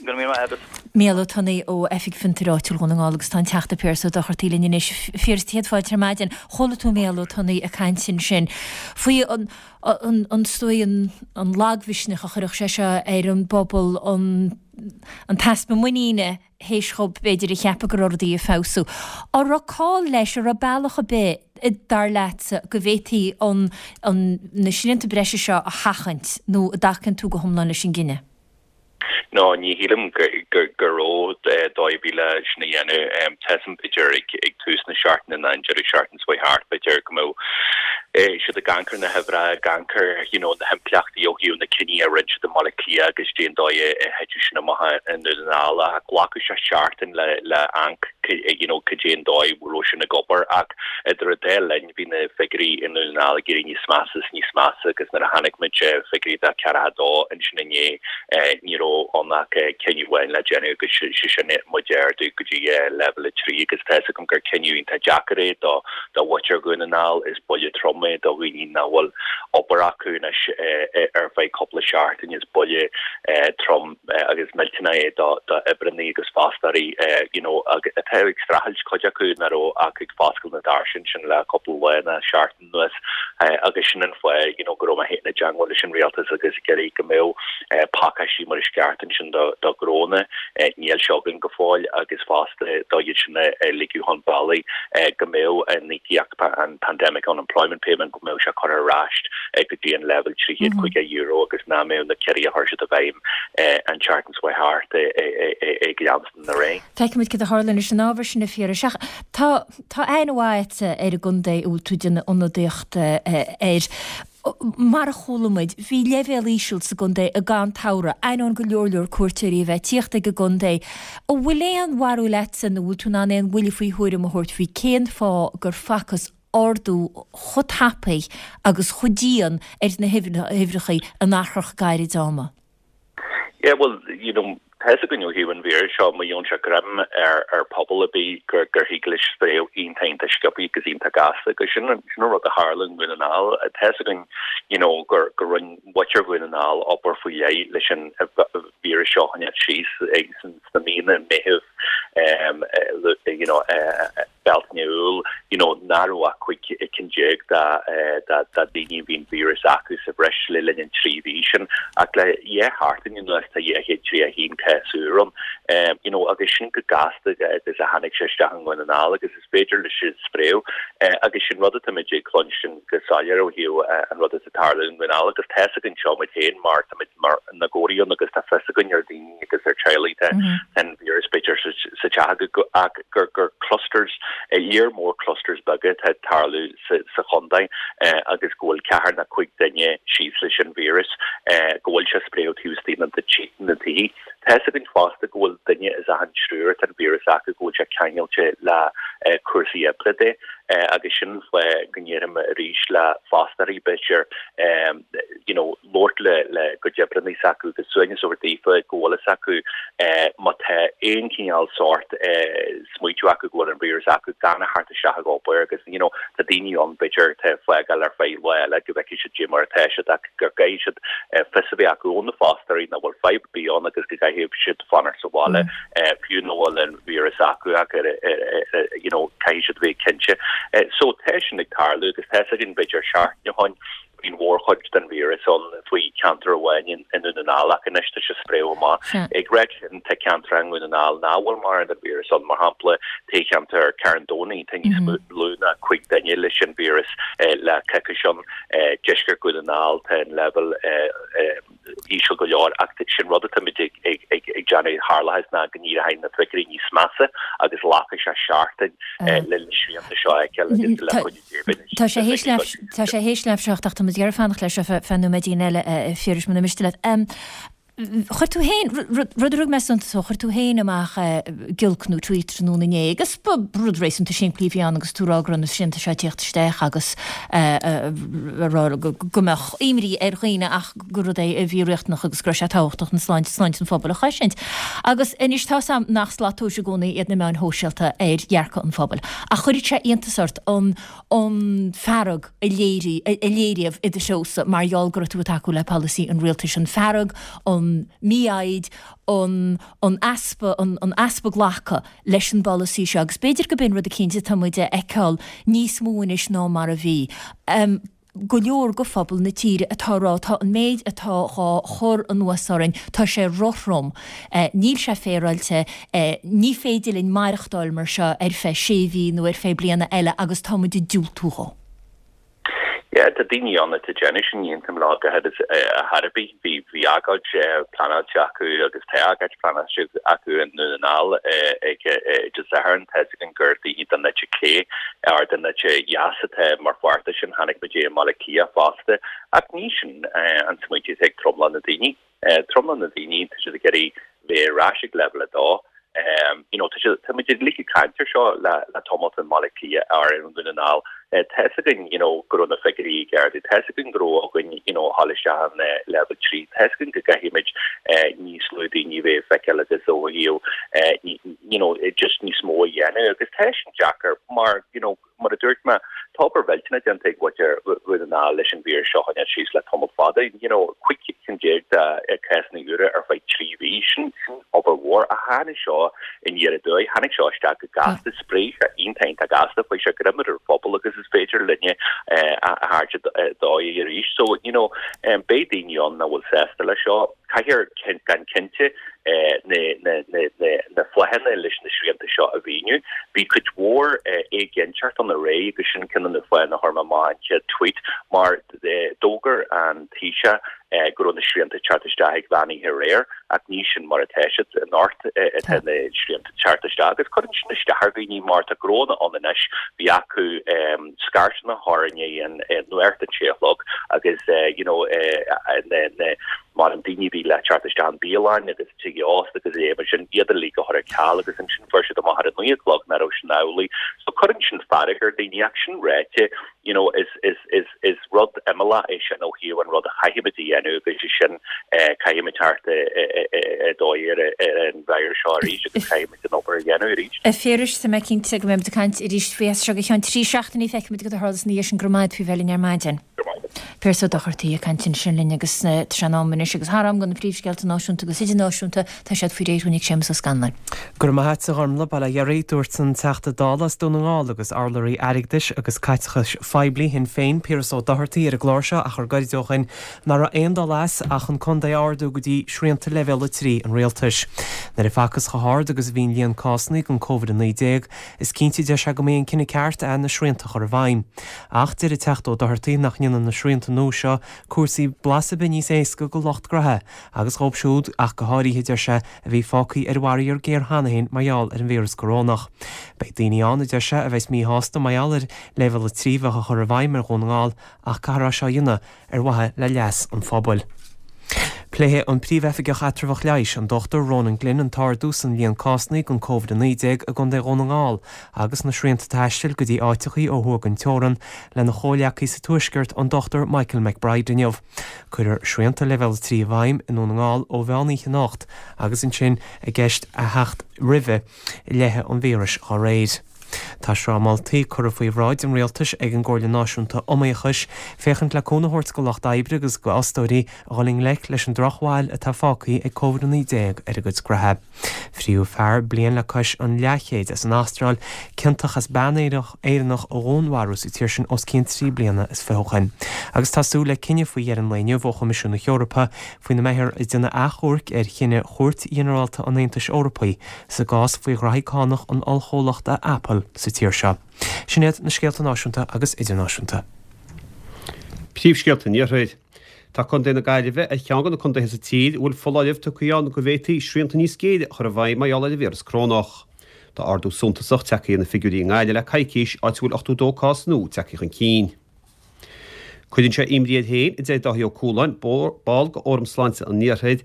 Go raibh míle maith agat. Mícheál Ó Tonnaigh ó Oifig Fiontair Áitiúil Dhún na nGall agus tá an Teachta Piaras Ó Dochartaigh linn anois. A Phiarais, céad fáilte ar maidin. Chuala tú Mícheál Ó Tonnaigh ag caint ansin faoi an an an is dóigh an an lagmhisneach a chuirfeadh sé seo ar an bpobal, an an t-easpa muiníne théis dhóibh b'fhéidir a cheapadh go raibh rudaí ag feabhsú. An raibh call leis, an raibh bealach ar bith, dar leatsa, go bhféadfaí an, an, na srianta breise seo a sheachaint nó an dtacaíonn tú go hiomlán leis an gcinneadh? No, ní shílim go raibh dóigh ar bith le sin a dhéanamh. Tá a fhios agam b'fhéidir ag tús na seachtaine nó an deireadh seachtaine seo thart b'fhéidir go mbeadh siad ag amharc ar na huimhreacha, ag amharc ar you know na himpleachtaí ó thaobh na cinní a rinne siad i mBaile Átha Cliath agus cad é an dóigh a thitfeadh sin amach i nDún na nGall ach ghlacfadh sé seachtain le le amharc you know cad é an dóigh a raibh sin ag obair ach idir an dá linn bhí na figiúirí i nDún na nGall ag éirí níos measa is níos measa agus nuair a chonaic muid figiúirí de ceathracha dó ansin inné ní raibh ann ach cinneadh amháin le déanamh agus sé sin muid a ardú go dtí leibhéal 3 agus tá fhios agam gur cinneadh iontach deacair é do do mhuintir Dhún na nGall. Is buille trom é do dhaoine nach bhfuil obair acu anois ar feadh cúpla seachtain. Is buille trom agus millteanach é do oibreannaí agus fostóirí you know atá ag streachailt, cuid acu nach raibh ach ag foscailt na doirse ansin le cúpla lá nó seachtain. anuas agus sin an fáth you know go raibh mé féin i dteangmháil leis an rialtas agus ag iarraidh go mbeadh pacáistí mar is ceart ansin do do ghnónna níl sé againn go fóill agus fosta do iad sin a ligeadh chun bealaigh go mbeadh an íocaíocht an Pandemic Unemployment Payment go mbeadh sé curtha ar ais go dtí an leibhéal €350 agus nach mbeadh na ciorruithe a chuir siad i bhfeidhm an tseachtain seo thart ag leanstan ar aghaidh. Feicfimid cad a tharlaíonn leis an ábhar sin, a Phiarais. Ach tá, tá aithne mhaith agatsa ar an gcontae a bhfuil tú ag déanamh ionadaíochta air. Mar a chuala muid, bhí leibhéal íseal sa gcontae i gcaitheamh an tsamhraidh, ainneoin go leor leor cuairteoirí a bheith ag tíocht ag an gcontae. An bhfuil aon bharúil agatsa nó bhfuil tú in ann aon bhuille faoi thuairim a thabhairt faoi cén fáth gur facthas ardú chomh tapaidh agus chomh dian ar na huimhreacha in achar gairid ama? Yeah, well, you know, tá fhios againn ó thaobh an víris seo, má gheobhann sé greim ar ar pobal ar bith gur gur thig leis spréadh iontach iontach sciobtha agus iontach gasta agus sin an sin an rud a tharla i nDún na nGall. Tá fhios againn, you know, gur gur rinne muintir Dhún na nGall obair faoi leith leis an víreas seo a choinneáil síos sna míonna Meitheamh, you know, Bealtaine, Iúil, you know, nach raibh ach 15 cinn de dhaoine a bhí an víreas acu sa bhreis le linn an 3 mhí sin, ach le 2 sheachtain anuas tá 231 cás úr ann, you know, agus sin go gasta agus a tháinig sé isteach i nDún na nGall agus is féidir leis sin spréadh agus sin rud atáimid ag cluinstin go soiléir ó thaobh an rud atá ag tarlú i nDún na nGall agus tá fhios againn seo muid féin mar táimid mar na gcónaí ann agus tá fios againn ar daoine agus ar teaghlaigh tá an víreas b'fhéidir sa teach acu ach gur gur clusters, léar mór clusters beaga atá ag tarlú sa chontae agus go bhfuil ceathair nó cuig duine síos leis an víreas, go bhfuil sé ag spréadh taobh istigh na tithe. Tá fhios againn fosta go bhfuil duine as achan triúr atá an víreas acu go bhfuil sé ceangailte le cúrsaí oibre de agus sin an fáth go ndéarfainn arís le fostóirí b'fhéidir you know labhairt le le gcuid oibreanna s'acu agus suaimhneas a thabhairt daofa go bhfuil fhios acu má tá aon chineál sórt smaoitiú acu go bhfuil an víreas acu gan a theacht isteach ag obair agus you know tá daoine ann b'fhéidir atá ag fágáil ar feadh lá eile go bhfeicfidh siad cad é mar atá siad ach go gcaithfidh siad fios a bheith acu ó na fostóirí nach bhfuil fadhb ar bith ann agus go gcaithfidh siad fanacht sa bhaile fiú nach bhfuil an víreas acu ach you know caithfidh siad a bheith cinnte. So tá sin ag tarlú agus tá fhios againn b'fhéidir seachtain ó shin Bhí an mhórchuid den víreas ann faoi cheantar amháin i nDún na nGall ach anois tá sé ag spréadh amach. Ag ráit sin, tá ceantair i nDún na nGall nach bhfuil mórán den víreas ann, mar shampla toghcheantar Charn Domhnaigh, tá níos lú ná 5 duine leis an víreas le coicís ann. Deisceart Dhún na nGall, tá an leibhéal íseal go leor ach sin rud atáimid ag déanamh tharlóidh ná go n-éireoidh na figiúirí níos measa agus glacfaidh sé seachtain le na srianta seo a fheiceáil agus le cuidiú Dé beidh Tá sé théis leath tá sé théis leath 7 ach tá muid ag iarraidh fanacht leis seo feadh nóiméidín eile a Phiarais muna miste leat. Chuir tú féin, rud a thug mé suntas dó, chuir tú féin amach giolc nó tweet tráthnóna inné agus ba rud réasúnta simplí a bhí ann agus tú ag rá go raibh na srianta seo ag tíocht isteach agus a rá go mbeadh imní ar dhaoine ach gur rud é a bhí riachtanach agus go raibh sé tábhachtach an sláinte, sláinte an phobail a chosaint. Agus anois tá 's a'm nach slat tomhais i gcónaí iad na meáin shóisialta ar dhearcadh an phobail ach chuirfeadh sé iontas ort an an fearg a léirigh, a léiríodh i do threosa mar gheall go raibh tú ag tacú le polasaí an rialtais, an fearg, an mhífhoighid, an an easpa, an an easpa glacadh leis an bpolasaí seo agus b'fhéidir go b'in rud eicínt atá muid a fheiceáil níos mó anois ná mar a bhí. Go leor de phobal na tíre atá ag rá tá an méid atá dhá chur anuas orainn, tá sé rothrom, níl sé féaráilte, ní féidir linn maireachtáil mar seo ar feadh sé mhí nó ar feadh bliana eile agus tá muid ag diúltú dhó. Yeah, tá daoine ann atá ag déanamh sin, ní aontaím leo go háirid ar chor ar bith. Bhí, bhí agóid pleanáilte acu agus tá agóid pleanáilte acu i nDún na nGall ag Dé Sathairn. Tá fhios againn gur daoine den eite chlé or den eite dheas atá mar pháirt de sin. Chonaic muid é i mBaile Átha Cliath fosta. Ach ní sin an smaointiú atá ag tromlach na daoine. Tromlach na daoine, tá siad ag iarraidh bheith ar ais ag leibhéal 2. You know, tá siad, tá muid uilig ag caint ar seo le le tamall i mBaile Átha Cliath or i nDún na nGall. Tá fhios againn, you know, go raibh na figiúirí ag ardú. Tá fhios againn go raibh againn, you know, a dhul isteach in leibhéal 3. Tá fhios againn go gcaithfimid níos lú daoine a bheith ag feiceáil agus ó thaobh, you know, just níos mó a dhéanamh agus tá sin deacair mar, you know, Mar a dúirt mé, tá obair mhillteanach déanta ag muintir Dhún na nGall leis an víreas seo a choinneáil síos le tamall fada. You know, 15 cinn de cásanna úra ar feadh 3 mhí, sin obair mhór. Ach tháinig seo aniar aduaidh, tháinig seo isteach go gasta, spréigh sé iontach iontach gasta, chuaigh sé greim ar an phobal agus is féidir linne a thabhairt aduaidh arís. So, you know, beidh daoine ann nach bhfuil sásta leis seo. Caithfear gan cinnte na fáthanna leis na srianta seo a mhíniú. Bhí cuid mhór éiginnteacht ann aréir agus sin ceann de na fáthanna a chuir mé amach an chéad tweet mar d'fhógair an Taoiseach go raibh na srianta ag teacht isteach ag mheán oíche aréir ach ní sin mar atá siad. Anocht atá na srianta ag teacht isteach agus cuireann sin isteach ar dhaoine mar tá gnónna ann anois bhí acu scairteanna a chur i ndiaidh an nuacht an sé a chlog agus you know na mar an daoine a bhí le teacht isteach an bialann agus tithe ósta agus é mar sin iad uilig a chur ar ceal agus ansin fuair siad amach ar a 9 a chlog nach raibh sin amhlaidh. So cuireann sin fearg ar daoine ach sin ráite you know is is is is rud imeallach é sin ó thaobh an rud a chaithfimid a dhéanamh agus é sin caithfimid teacht aduaidh ar ar an víreas seo arís agus caithfimid an obair a dhéanamh arís. A Phiarais, tá mé cinnte go mbeimid ag caint arís faoi as seo go ceann 3 seachtainí feicfimid cad a tharlós ina dhiaidh sin go raibh maith agat faoi bheith linn ar maidin. Go raibh maith agat. Pearse Ó Dochartaigh ag caint ansin linn agus tá sé in am anois agus thar am do na príomhscéalta náisiúnta agus idirnáisiúnta, tá siad faoi réir ag Séamus Ó Scanláin. Go raibh maith a't, a Ghormlaith, bail ó Dhia oraibh. Dúirt an Teachta Dála as Dún na nGall agus urlabhraí airgeadais agus caiteachais phoiblí Shinn Féin, Piaras Ó Dochartaigh ar an gclár seo achar gairid ó shin nach raibh aon dul as ach an contae a ardú go dtí srianta leibhéal 3 an rialtais. Nuair a facthas chomh hard agus a bhí an líon cásanna den Covid-19, is cinnte, deir sé, go mb'é an cinneadh ceart é na srianta a chur i bhfeidhm. Ach deir an Teachta Ó Dochartaigh nach ndéanann na srianta nua seo cúrsaí blas ar bith níos éasca go lucht gnoithe agus dhóibh siúd ach go háirithe, deir sé, a bhí fágtha ar bharraíor géar cheana féin mar gheall ar an víreas corónach. Beidh daoine ann, a deir sé, a bheas míshásta mar gheall ar Leibhéal 3 bheith á chur i bhfeidhm ar Dhún na nGall ach caithfear é seo a dhéanamh ar mhaithe le leas an phobail. Pléifidh an Príomh-Oifigeach Eatramhach Leighis, an Dr Ronan Glynn an t-ardú san líon cásanna den Covid-19 i gContae Dhún na nGall agus na srianta taistil go dtí áiteachaí ó thuaidh den teorann lena chomhleacaí sa Tuaisceart, an Dr Michael McBride inniu. Cuirfear srianta Leibhéal 3 i bhfeidhm i nDún na nGall ó mheán oíche anocht agus ansin i gceist a theacht roimhe leathadh an víris dá réir. Tá sraith moltaí curtha faoi bhráid an Rialtais ag an gComhairle Náisiúnta Iomaíochais féachaint le cúnamh a thabhairt go lucht oibre agus go fhostóirí a dhul i ngleic leis an drochbhail atá fágtha ag Covid-19 ar a gcuid gnoithe. Fríodh fear bliain le cois an leathchéid as an Astráil ciontach as bean Éireannach a dhúnmharú sa tír sin os cionn 3 bliana is fiche ó shin. Agus tá súil le cinneadh faoi dheireadh an lae inniu ó Choimisiún na hEorpa faoina mbeifear ag déanamh achomhairc ar chinneadh Chúirt Ghinearálta an Aontais Eorpaigh sa gcás faoi ghraithí cánach an ollchomhlachta Apple sa tír seo. Sin iad na scéalta náisiúnta agus idirnáisiúnta. Príomhscéalta an Iarthair. Tá Contae na Gaillimhe ar cheann de na contaetha sa tír a bhfuil foláireamh tugtha ann go bhféadfaí srianta níos géire a chur i bhfeidhm mar gheall ar an víreas corónach. Tá ardú suntasach tagtha ar na figiúirí i nGaillimh le coicís, áit a bhfuil 82 cás nua tagtha chun cinn. Cuireann sé imní air féin, a deir Dáithí Ó Cualáin, ball de Fhóram Sláinte an Iarthair,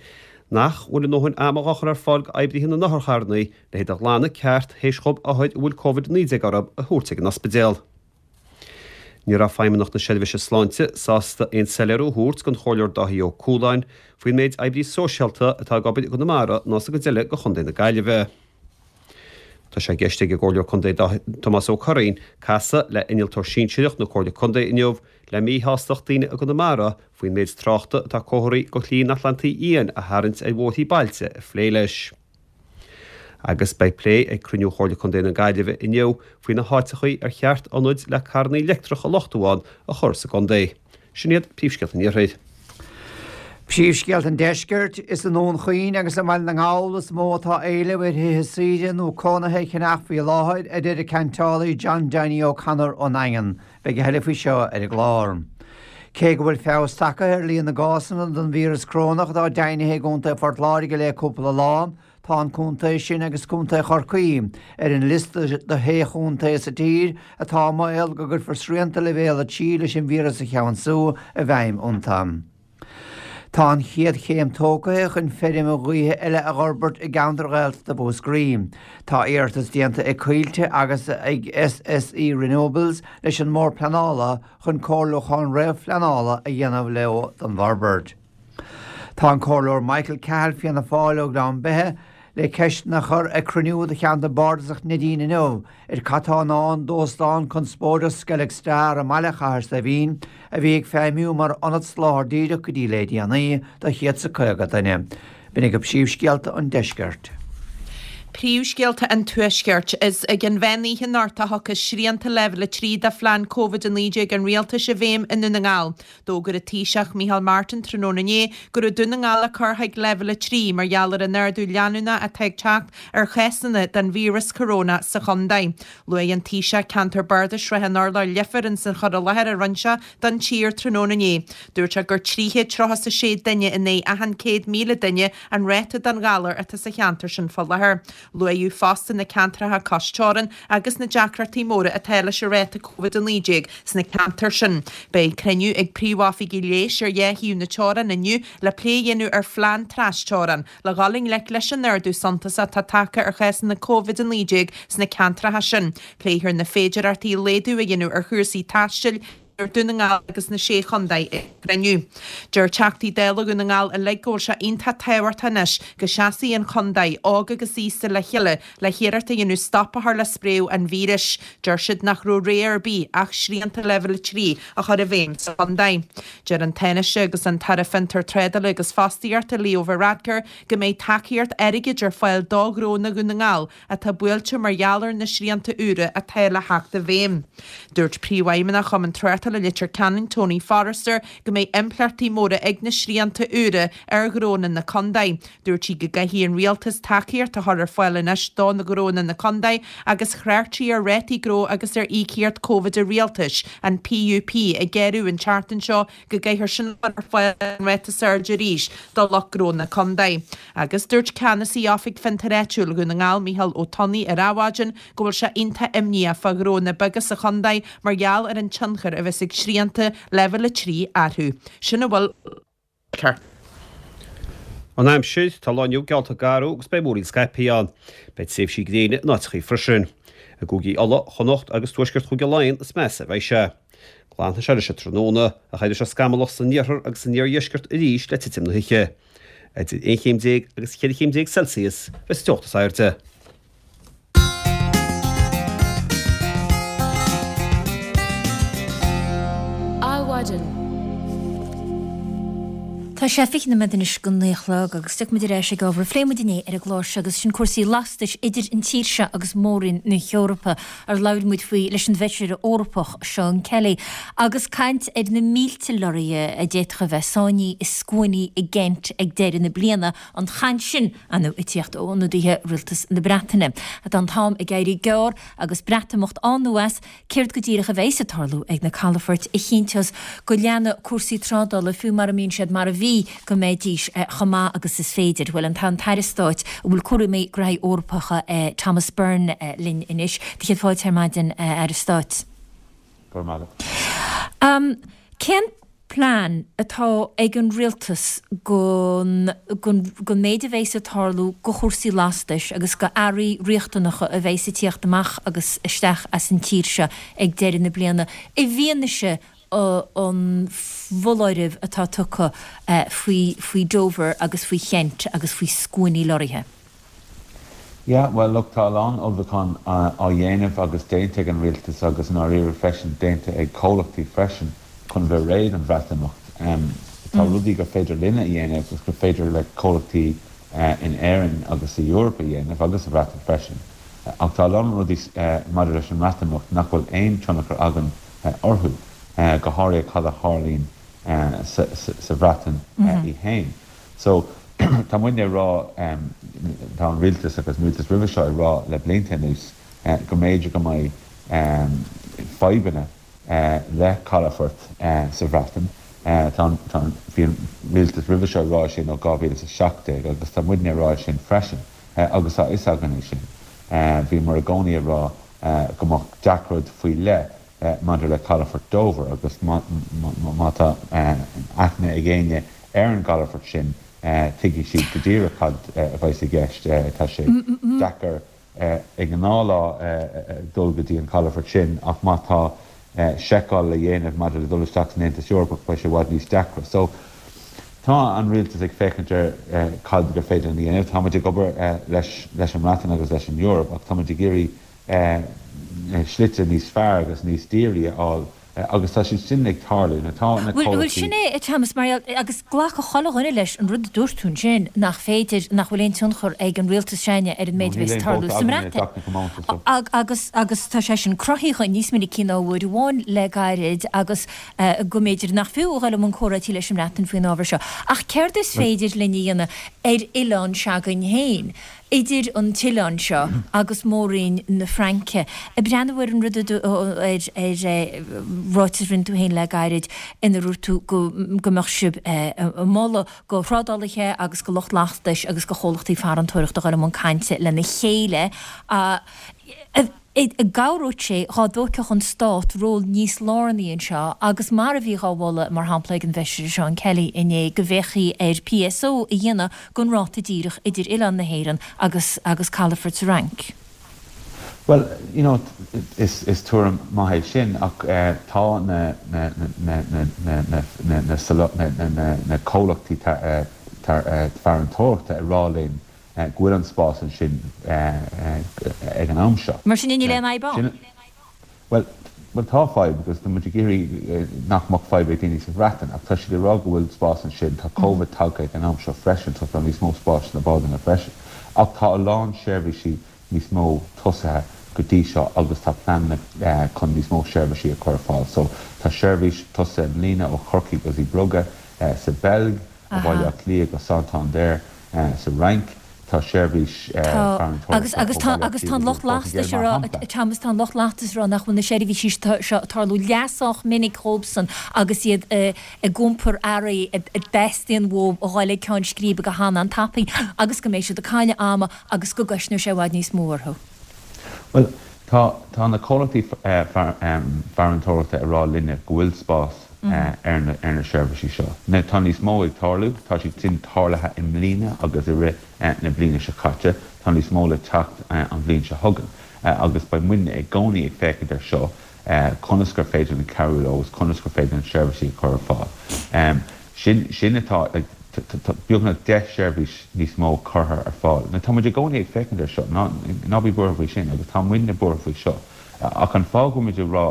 nach bhfuil a ndóthain ama á chur ar fáil d'oibrithe na n-otharcharranna le hiad a ghlanadh ceart théis dhóibh othair a bhfuil Covid-19 orthu a thabhairt ag an ospidéal. Ní raibh Feidhmeannacht na Seirbhíse Sláinte sásta aon soiléiriú a thabhairt don Chomhairleoir Dáithí Ó Cualáin faoin méid oibrí sóisialta atá ag obair i gConamara ná sa gcuid eile de Chontae na Gaillimhe. Tá sé i gceist ag an gComhairleoir Contae Tomás Ó Curraoin casadh le Innealtóir Sinsearach na Comhairle Contae inniu le míshástacht daoine i gConamara faoin méid tráchta atá comharthaí do Shlí an Atlantaigh Fhiáin a tharraingt ar bhóithrí bailte a phlé leis. Agus beidh plé ag cruinniú Chomhairle Contae na Gaillimhe inniu faoi na háiteachaí ar cheart ionaid le carrannaí leictreacha a luchtú ann a chur sa gcontae. Sin iad príomhscéalta an Iarthair. Príomhscéalta an Deiscirt, Is i nDún Chaoin agus i mBaile na nGall is mó atá éileamh ar thithe saoire nó cónaithe a cheannach faoi láthair, a deir an ceantálaí John Danny O'Connor ón nDaingean. Beidh a thuilleadh faoi seo ar an gclár. Cé go bhfuil feabhas tagtha ar líon na gcásanna den víreas corónach atá deimhnithe i gContae Phort Láirge le cúpla lá, Tá an contae sin agus Contae Chorcaí ar an liosta de shé chontae sa tír atá i mbaol go gcuirfear srianta Leibhéal 3 leis an víreas a cheansú i bhfeidhm iontu. Tá an chéad chéim tógtha chun feirm ghaoithe eile a fhorbairt i gceantar Ghaeltachta Mhúscraí. Tá iarratas déanta ag Coillte agus ag SSE Renewables leis an mBord Pleanála chun comhairliúchán réamhphleanála a dhéanamh leo don bhforbairt. Tá an Comhairleoir Michael Cahill, Fianna Fáil ó Ghleann Beithe, le ceisteanna a chur ag cruinniú de cheantar bardasach Neidín inniu ar cad tá i ndán d'óstán conspóideach Skellig Star i mbaile Chathair Saidhbhín a bhí ag feidhmiú mar ionad soláthair díreach go dtí le déanaí do 150 duine. B'in agaibh príomhscéalta an deiscirt. Príomhscéalta an Tuaiscirt. Is ag an mheán oíche anocht a thiocfas srianta Leibhéal 3 de phlean Covid-19 an Rialtais i bhfeidhm i nDún na nGall. D'fhógair an Taoiseach Micheál Martin tráthnóna inné go raibh Dún na nGall á cur chuig Leibhéal 3 mar gheall ar an ardú leanúnach atá ag teacht ar chásanna den víreas corónach sa chontae. Luaigh an Taoiseach ceantar bardais Shrath an Urláir Leifear ins an chur i láthair a rinne sé don tír tráthnóna inné. Dúirt sé gur 336 duine in aghaidh achan 100,000 duine an ráta den ghalar atá sa cheantar sin fá láthair. Luaíodh fosta na ceantracha cois teorann agus na deacrachtaí móra atá leis an ráta Covid-19 sna ceantair sin. Beidh cruinniú ag príomhoifigigh leighis ar dhá thaobh na teorann inniu le plé a dhéanamh ar phlean trasteorann le dhul i ngleic leis an ardú suntasach atá tagtha ar chásanna Covid-19 sna ceantracha sin. Pléifear na féidearthachtaí laghdú a dhéanamh ar chúrsaí taistil. Dún na nGall agus na Sé Chontae ag cruinniú. Deir Teachtaí Dála Dhún na nGall uilig go bhfuil sé iontach tábhachtach anois go seasfaidh an chontae, óg agus aosta le chéile le hiarracht a dhéanamh stop a chur le spréadh an víris. Deir siad nach raibh rogha ar bith ach srianta Leibhéal 3 a chur i bhfeidhm sa chontae. Deir an Tánaiste agus an tAire Fiontar Trádála agus Fostaíochta Leo Varadkar go mbeidh tacaíocht airgid ar fáil do ghnónna Dhún na nGall atá buailte mar gheall ar na srianta úra atá le theacht i bhfeidhm. Dúirt Príomhfheidhmeannach Chumann Tráchtála Leitir Ceanainn, Tony Forrester, go mbeidh impleachtaí móra ag na srianta úra ar ghnónna na contae. Dúirt sí go gcaithfidh an Rialtas tacaíocht a chur ar fáil anois do na gnónna na contae agus chreach sí ar rátaí gnó agus ar íocaíocht Covid an Rialtais, an PUP, ag géarú an tseachtain seo go gcaithfear sin a chur ar fáil ar an ráta is airde arís do lucht gnó na contae. Agus dúirt Ceannasaí Oifig Fiontair Áitiúil Dhún na nGall, Micheál Ó Tonnaigh ar Adhmhaidin go bhfuil sé iontach imníoch fá ghnónna beaga sa chontae mar gheall ar an tionchar a bheas ag srianta Leibhéal 3 orthu. Sin a bhfuil. An aimsir, Tá an lá inniu geallta garbh agus beidh múraíl scaipthe ann. Beidh tréimhsí gréine in áiteachaí freisin. I gcúigí Uladh, Chonnacht agus tuaisceart Chúige Laighean is measa a bheidh sé. Glanfaidh sé leis an tráthnóna, ach éireoidh sé scamallach san iarthar agus san iardheisceart arís le titim na hoíche. Idir 11 chéim agus 14 chéim Celsius a bheidh sa teocht is airde. Adhmhaidin. Tá sé 20 nóiméad anois go 9 a chlog agus tiocfaidh muid ar ais ag ábhar a phléigh muid inné ar an gclár seo agus sin cúrsaí lastais idir an tír seo agus Mór-Roinn na hEorpa ar labhair muid faoi leis an bhFeisire Eorpach Seán Kelly agus caint ar na mílte lorraithe a d'fhéadfadh a bheith sáinnithe i scuainí i gCent ag deireadh na bliana, an chaint sin ar ndóigh ag tíocht ó ionadaithe Rialtas na Breataine. Tá an t-am ag éirí gearr agus Breatimeacht ann nó as, céard go díreach a bheas ag tarlú ag na calafoirt a chinnteos go leanfaidh cúrsaí trádála fiú mara mbíonn siad mar a bhí, go mbeidís chomh maith agus is féidir? Bhuel, tá an tAire Stáit a bhfuil cúraimí graithí Eorpacha, Thomas Byrne linn anois. Do chéad fáilte ar maidin, a Aire Stáit. Go raibh maith agat. Cén plean atá ag an Rialtas gon méid a bheas ag tarlú go chúrsaí lastais agus go earraí riachtanacha a bheas ag tíocht amach agus isteach as an tír seo ag deireadh na bliana i bhfianaise an fholáirimh atá tugtha faoi Dover agus faoi Chent agus faoi scuainí lorraithe? Yeah, bhuel look, tá a lán ullmhúchán á dhéanamh agus déanta ag an rialtas agus i ndáiríre freisin déanta ag comhlachtaí freisin chun bheith réidh don Bhreatimeacht. Tá rudaí gur féidir linne a dhéanamh agus gur féidir le comhlachtaí in Éirinn agus sa Eoraip a dhéanamh agus sa Bhreatain freisin. Ach tá a lán rudaí maidir leis an mBreatimeacht nach bhfuil aon tionchar againn orthu, go háirithe cad a tharlaíonn sa Bhreatain í fhéin. So, tá muidne ag rá, tá an rialtas agus an rialtas roimhe seo ag rá le blianta anuas go mb'fhéidir go mbeidh fadhbanna le calafoirt sa Bhreatain. Tá an, tá an, bhí an rialtas roimhe seo ag rá sin ó 2017 agus tá muidne ag rá sin freisin agus tá a fhios againn é sin. Bhíomar i gcónaí ag rá go mbeadh deacracht faoi leith maidir le calafort Dover agus má tá aithne ag éinne ar an gcalafort sin tuigfidh siad go díreach cad a bheas i gceist. Tá sé deacair i ngnáthlá dul go dtí an calafort sin ach má tá seiceáil le dhéanamh maidir le dul isteach san Aontas Eorpach beidh sé i bhfad níos deacra. So tá an rialtas ag féachaint ar cad gur féidir linn a dhéanamh. Táimid ag obair leis an mBreatain agus leis an Eoraip ach táimid ag iarraidh slite níos fearr agus níos dírí a fháil agus tá siad sin ag tarlú. Now tá na Bhuel, bhuel, sin comhlachtaí. é, a Thomas, mar gheall, agus glacfaidh chuile dhuine leis an rud a dúirt tú ansin, nach féidir, nach bhfuil aon tionchar ag an rialtas s'againne ar an No, méid a níl bheas ag aon tarlú vóta sa againne i mBreatain. dTeach na Comónta, so. Agus, agus tá sé sin cruthaithe níos minicí ná uair amháin le gairid agus go mb'fhéidir nach fiú a dhul i mbun comhráití leis an mBreatain faoin ábhar seo. Ach céard is Bhuel. féidir linn a dhéanamh ar oileán s'againn féin? idir an t-oileán seo agus Mór-Roinn na Fraince. Ag breathnú ar an rud a ar ráiteas a rinne tú féin le gairid ina ndúirt tú go go mbeadh sibh ag moladh go thrádálaithe agus go lucht lastais agus go chomhlachtaí farantóireachta dhul i mbun cainte lena chéile An gcabhródh sé dhá dtógfadh an Stát ról níos lárnaí anseo agus mar a bhí dhá mholadh, mar shampla, ag an bhFeisire Seán Kelly inné, go bhféachfaí ar PSO a dhéanamh den ráta díreach idir oileán na hÉireann agus agus calafort sa Fhrainc? Bhuel, you know, is is tuairim maith é sin ach tá na na na na na na na na na na na comhlachtaí farantóireachta ag rá linn go bhfuil an spás ansin ag an am seo. Mar sin níl aon fhadhb ann? Bhuel, bhuel tá fadhb agus tá muid ag iarraidh nach mbeadh fadhb ag daoine sa Bhreatain ach tá siad ag rá go bhfuil spás ansin, tá Covid tagtha ag an am seo freisin so tá níos mó spáis sna bádanna freisin. Ach tá a lán seirbhísí níos mó tosaithe go dtí seo agus tá pleananna chun níos mó seirbhísí a chur ar fáil. So tá seirbhís tosaithe i mbliana ó Chorcaigh go Zeebrugge sa Bheilg, ó Bhaile Átha Cliath go Santander sa Fhrainc. Tá seirbhís farantóireachta ó Bhaile Átha Cliath go dtí an Phortaingéil mar shampla. Thomas, tá an lucht lastais ag rá nach bhfuil na seirbhísí seo ag tarlú leath sách minic dhóibhsan agus iad ag iompar earraí a dteastaíonn uathu a dhul ag ceann scríbe go han-an-tapaidh agus go mbeidh siad ag cailleadh ama agus go gcosnóidh sé i bhfad níos mó orthu. Bhuel, tá, tá na comhlachtaí farantóireachta ag rá linne go bhfuil spás ar na, ar na seirbhísí seo. Now, tá níos mó ag tarlú, tá siad sin tarlaithe i mbliana agus i rith na bliana seo caite, tá níos mó le teacht an bhliain seo chugainn agus beidh muidne i gcónaí ag féachaint ar seo, conas gur féidir linn cabhrú leo agus conas gur féidir linn seirbhísí a chur ar fáil. Sin, sin atá, like, tá beagnach 10 seirbhís níos mó curtha ar fáil. Now tá muid i gcónaí ag féachaint ar seo, ná, ná bí buartha faoi sin agus tá muidne buartha faoi seo. Ach an fáth go bhfuil muid ag rá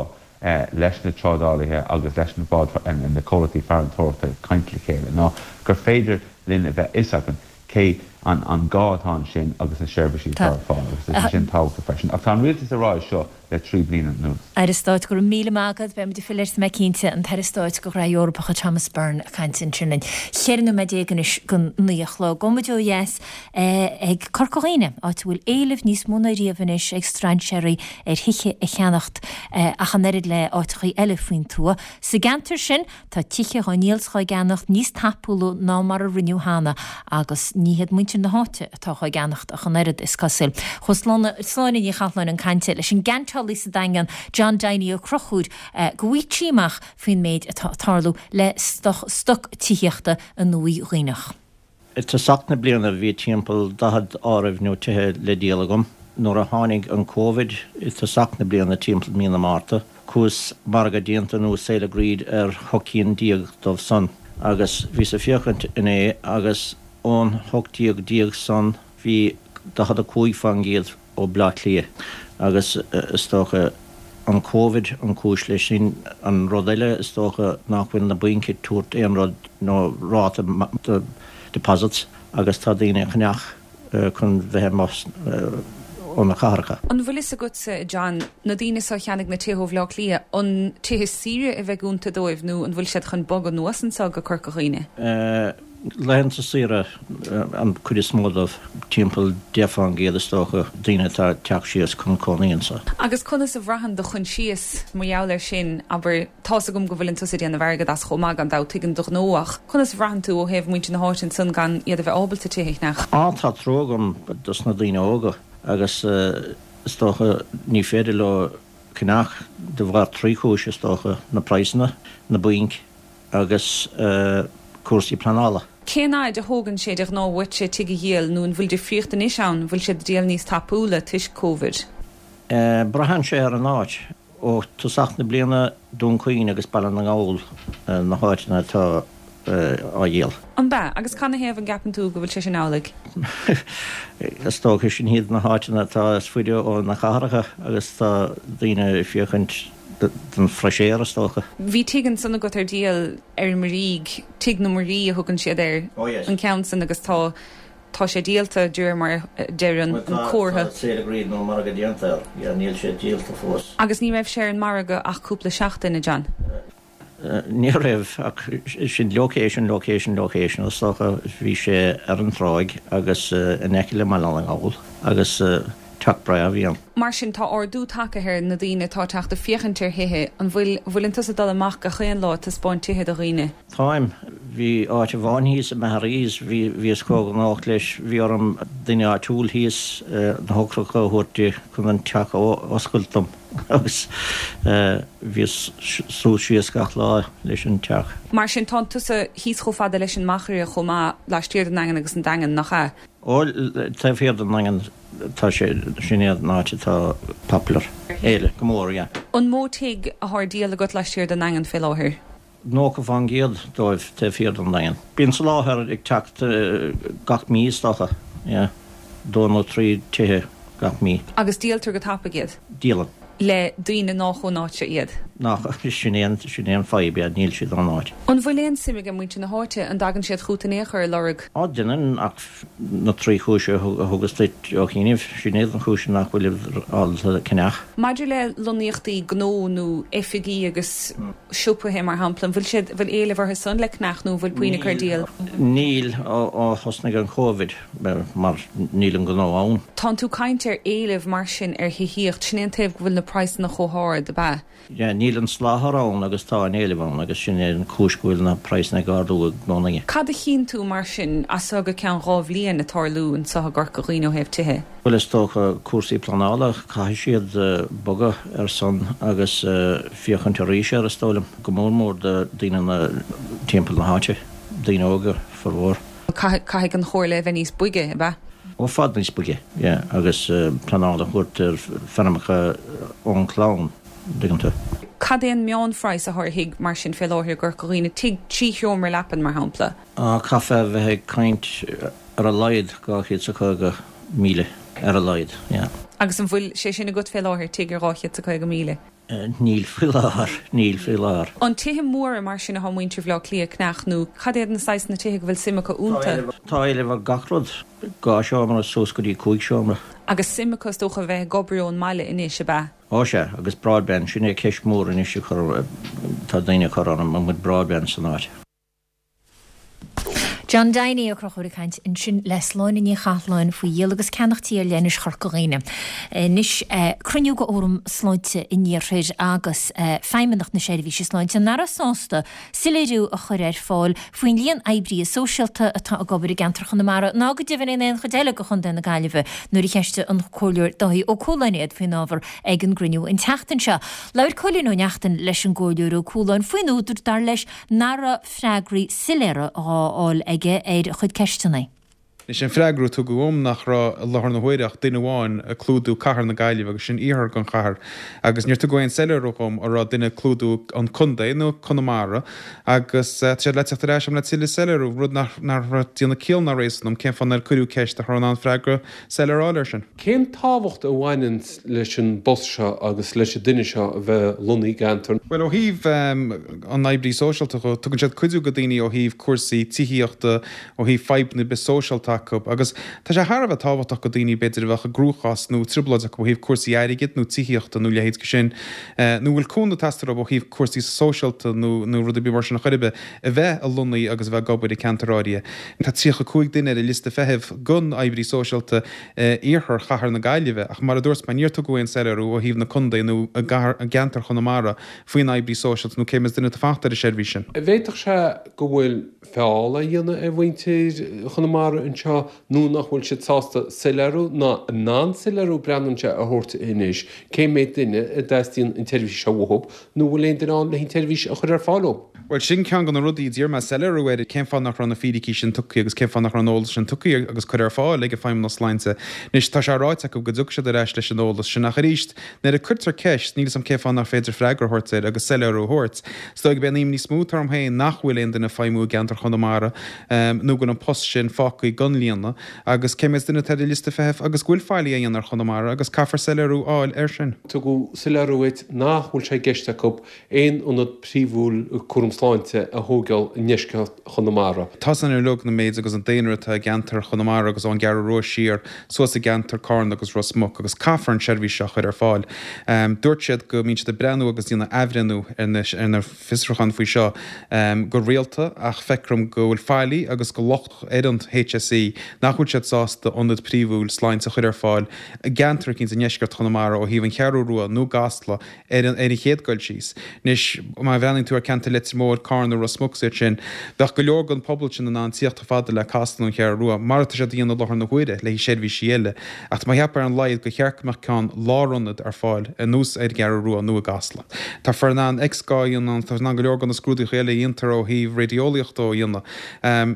leis na trádálaithe agus leis na báid, na comhlachtaí farantóireachta caint le chéile ná gur féidir linn a bheith fhios againn cé an, an gá atá ansin agus na seirbhísí atá ar fáil agus tá sé sin tábhachtach freisin. Ach tá an rialtas ag rá é seo le 3 bliana anuas. Aire Stáit, go raibh míle maith agat. Beidh muid ag filleadh ort tá mé cinnte. An tAire Stáit do Ghraithí Eorpacha, Thomas Byrne, ag caint ansin linn. 14 nóiméad anois don 9 a chlog. Gabhfaidh muid ó dheas ag Corca Dhuibhne, áit a bhfuil éileamh níos mó ná riamh anois ag strainséirí ar thithe a cheannacht ach an oiread le áiteachaí eile faoin tuath. Sa gceantar sin, Tá tithe dhá ndíol 's dhá gceannacht níos tapúla ná mar a rinneadh cheana agus ní hiad muintir na háite atá dhá gceannacht ach an oiread, is cosúil. Chuaigh Sláine Ní Chathalláin chun cainte leis an gceantálaí sa Daingean, John Diney Ó Conchúir, go bhfaighfeadh sí amach faoin méid atá ag tarlú le stoc tithíochta i nDumhaigh Dhuibhneach. I dtosach na bliana bhí timpeall 40 áireamh nó tithe le díol agam. Nuair a tháinig an Covid i dtosach na bliana timpeall mí na Márta, chuas margadh déanta nó sale agreed ar hocht cinn déag dóibh san agus bhíos ag féachaint inné agus ón 18 déag san bhí 45 fán gcéad ó Bleá Cliath agus is dócha an Covid an cúis leis sin. An rud eile is dócha nach bhfuil na bainc ag tabhairt aon rud nó ráta do deposits agus tá daoine ag ceannach chun bheith amuigh ó na cathracha. An bhfuil fhios agatsa, a John, na daoine seo a cheannaigh na tithe ó Bhleá Cliath, an tithe saoire a bheidh iontu dóibh nó an bhfuil siad chun bogadh anuas anseo go Corca Dhuibhne? Laethanta saoire an chuid is mó dóibh, timpeall 10 fán gcéad is dócha, daoine atá ag teacht síos chun cónaí anso. Agus conas a bhraitheann do choinsias mar gheall air sin, abair, tá's agam go bhfuileann tusa ag déanamh airgead as chomh maith gan dabht, tuigim do ghnó, ach conas a bhraitheann tú ó thaobh muintir na háite ansan gan iad a bheith ábalta tithe a cheannach? Á, tá trua agam dos na daoine óga agus is dócha ní féidir leo ceannach de bharr trí chúis is dócha, na praghsanna, na bainc agus cúrsaí pleanála. Cén fhaid a thógann sé de ghnáth uaitse tigh a dhíol nó an bhfuil difríocht anois ann, an bhfuil siad ag díol níos tapúla toisc Covid? Braitheann sé ar an áit. Ó tosach na bliana Dún Chaoin agus Baile na nGall na háiteanna atá á dhíol. An b'ea? Agus canathaobh an gceapann tú go bhfuil sé sin amhlaidh? Is dócha sin iad na háiteanna atá is faide ó na cathracha agus tá daoine ag féachaint don fresh air is dócha. Bhí tigh ansan agat ar díol ar an Muirígh, Tigh na Muirí a thugann siad air, an ceann san agus tá, tá sé díolta de réir mar a deir an comhartha. Tá sale agreed nó margadh déanta air, yeah, níl sé díolta fós. Agus ní raibh sé ar an margadh ach cúpla seachtain, a John? Ní raibh, ach sin location, location, location, is dócha. Bhí sé ar an tráigh agus in aice le Baile na nGall agus teach breá a bhí ann. Mar sin, tá ardú tagtha ar na daoine atá ag teacht ag féachaint ar thithe. An bhfuil, bhfuileann tusa ag dul amach gach aon lá ag taispeáint tithe do dhaoine? Táim. Bhí áit amháin thíos i Maharees, bhí, bhíos chomh gnóthach leis, bhí orm duine áitiúil thíos na heochracha a thabhairt di chun an teach a oscailt dom agus bhíos suas síos gach lá leis an teach. Mar sin, tánn tusa thíos chomh fada leis an Machaire chomh maith, laistiar den nDaingean agus an Daingean, nach ea? Ó, taobh thiar den nDaingean tá sé, sin é an áit atá popular. Éileamh go mór, yeah. An mó tigh athá ar díol agat laistiar den nDaingean fé láthair? 90% dóibh taobh thiar den Daingean. Bíonn soláthar ag teacht gach mí is dócha, yeah. Dó nó trí tithe gach mí. Agus díoltar go tapaidh iad? Díolann. Le daoine nách ón áit seo iad? Nach, sin é an, sin é an fadhb, yeah, níl siad ón áit. An bhfuil aon suim age muintir na háite, an dtagann siad chút in aon chor ag lorg? Á, deineann, ach na trí chúis a thugas duit ó chianaibh, sin iad an chúiseanna nach bhfuilid ábalta ceannach. Maidir le lonnaíochtaí gnó nó oifigí agus siopaithe mar shampla, an bhfuil siad, bhfuil éileamh orthu san le ceannach nó an bhfuil puinn acu ar díol? Níl, ó thosnaigh an Covid, mar níl an gnó ann. Tánn tú caint ar éileamh mar sin ar thithíocht, sin é an taobh go bhfuil na praghsanna chomh hard, ab ea? Yeah, níl an soláthar ann agus tá an éileamh ann agus sin é an chúis go bhfuil na praghsanna ag ardú i gcónaí. Cad a chíonn tú mar sin as seo go ceann 2 bhliain ag tarlú anseo i gCorca Dhuibhne ó thaobh tithe? Bhuel is dócha cúrsaí pleanála, caithfidh siad bogadh ar son agus féachaint arís air is dóigh liom, go mór mór do daoine na timpeall na háite, daoine óga formhór. Caithfidh an chomhairle a bheith níos boige, ab ea? I bhfad níos boige, yeah, agus pleanáil a thabhairt ar feirmeacha ón chlann, an dtuigeann tú. Cad é an meánphraghas athá ar thigh mar sin fé láthair i gCorca Dhuibhne, tigh 3 sheomra leapan mar shampla? Á, caithfeá a bheith ag caint ar a laghad 250,000, ar a laghad, yeah. Agus an bhfuil sé sin agat fé láthair, tigh ar 250,000? Níl faoi láthair, níl faoi láthair. An tithe móra mar sin athá muintir Bhaile Átha Cliath ag ceannach nó cad iad na saghsanna tithe go bhfuil suim acu iontu? Tá éileamh ar gach rud, 2 seomra suas go dtí 5 seomra. Agus suim acu is dócha a bheith ag obair ón mbaile anois, ab ea? Ó sea, agus broadband, sin é ceist mhór anois a chur, tá daoine ag cur orm, an bhfuil broadband san áit? John Diney Ó Conchúir ag caint ansin le Sláine Ní Chathalláin faoi dhíol agus ceannach tí ar leithinis Chorca Dhuibhne. Anois, cruinniú de Fhóram Sláinte an Iarthair agus Feidhmeannacht na Seirbhíse Sláinte nach raibh sásta soiléiriú a chur ar fáil faoin líon oibrithe sóisialta atá ag obair i gceantar Chonamara ná go deimhin in aon chuid eile de Chontae na Gaillimhe nuair a cheistigh an Comhairleoir Dáithí Ó Cualáin iad faoin ábhar ag an gcruinniú an tseachtain seo. Labhair Cóilín Ó Neachtain leis an gComhairleoir Ó Cualáin faoin údar, dar leis, nach raibh freagraí soiléire á fháil aige ar a chuid ceisteanna. Anois, an freagra a tugadh dhom nach raibh i láthair na huaire ach duine amháin ag clúdú cathair na Gaillimhe agus sin iarthar den chathair agus níor tugadh aon soiléiriú dhom an raibh duine ag clúdú an contae nó Conamara agus tá siad le teacht ar ais agam le tuilleadh soiléiriú, rud nach raibh ag déanamh ciall ná réasún dom cén fáth nár cuireadh ceist nach raibh in ann freagra soiléir a fháil air sin. Cén tábhacht a bhaineann leis an bpost seo agus leis an duine seo a bheith lonnaithe i gceantar. Bhuel, ó thaobh an oibrí sóisialta dho, tugann siad cuidiú go daoine ó thaobh cúrsaí tithíochta, ó thaobh fadhbanna ar bith sóisialta acu agus tá sé thar a bheith tábhachtach go daoine b'fhéidir a bheadh i gcruachás nó trioblóid acu ó thaobh cúrsaí airgid nó tithíochta nó leithéid de sin nó a bhfuil cúnamh ag teastáil uathu ó thaobh cúrsaí sóisialta nó nó rud ar bith mar sin a chor ar bith a bheith lonnaithe agus a bheith ag obair i gceantar áirithe. Tá 35 duine ar an liosta feithimh don oibrí sóisialta iarthar chathair na Gaillimhe, ach mar a dúirt mé, níor tugadh aon soiléiriú ó thaobh na contae nó i gceantar Chonamara faoin oibrí sóisialta nó cé mhéad duine atá fachta ar an seirbhís sin. An bhféadfadh sé go bhfuil feall á dhéanamh ar mhuintir Chonamara anseo nó nach bhfuil siad sásta soiléiriú ná in ann soiléiriú breathnaíonn sé a thabhairt anois cé mhéad duine a dteastaíonn an tseirbhís seo uathu nó an bhfuil aon duine ann le an tseirbhís a chur ar fáil dóibh. Bhuel, sin ceann de na rudaí a d'iarr mé soiléiriú air, cén fáth nach raibh na fíricí sin tugtha agus cén fáth nach raibh an eolas sin tugtha agus curtha ar fáil ag an Feidhmeannas Sláinte. Anois, tá sé ráite acu go dtiocfaidh siad ar ais leis an eolas sin ach arís, nuair a cuirtear ceist, níl 'fhios a'm cén fáth nach féidir freagra a thabhairt air agus soiléiriú a thabhairt. Is dóigh gurb é an imní is mó atá orm féin nach bhfuil aon duine ag feidhmiú i gceantar Chonamara nó go bhfuil an post sin fágtha gan líonadh agus cé mhéad duine atá ar an liosta feithimh agus go bhfuil faillí á dhéanamh ar Chonamara agus caithfear soiléiriú a fháil air sin. Tugadh soiléiriú duit nach bhfuil sé i gceist acu aon ionad príomhúil cúram sláinte a thógáil i ndeisceart Chonamara. Tá san uilig na méid agus an daonra atá i gceantar Chonamara agus ón gCeathrú Rua siar suas i gceantar Carna agus Ros Muc agus caithfear an seirbhís seo a chur ar fáil. Dúirt siad go mbíonn siad ag breathnú agus ag déanamh athbhreithniú ar na ar na fiosrúcháin faoi seo go rialta ach feictear dom go bhfuil faillí agus go locht ar an HSE. C nach bhfuil siad sásta ionad príomhúil sláinte a chur ar fáil i gceantar eicínt i ndeisceart Chonamara ó thaobh an Cheathrú Rua nó i gCasla ar an ar an chéad dul síos. Anois, má bhreathnaíonn tú ar ceantar Leitir Móir, Carna, Ros Muc is iad sin, bheadh go leor den pobal sin in ann tíocht chomh fada le Casla nó an Cheathrú Rua, mar atá siad a dhéanamh i láthair na huaire le haghaidh seirbhísí eile. Ach tá mé ag ceapadh ar an laghad gur cheart go mbeadh ceann lárionad ar fáil ar nós ar an gCeathrú Rua nó i gCasla. Táthar in ann X-gá a dhéanamh ann, táthar in ann go leor de na scrúduithe eile a dhéantar ó thaobh raideolaíochta a dhéanamh.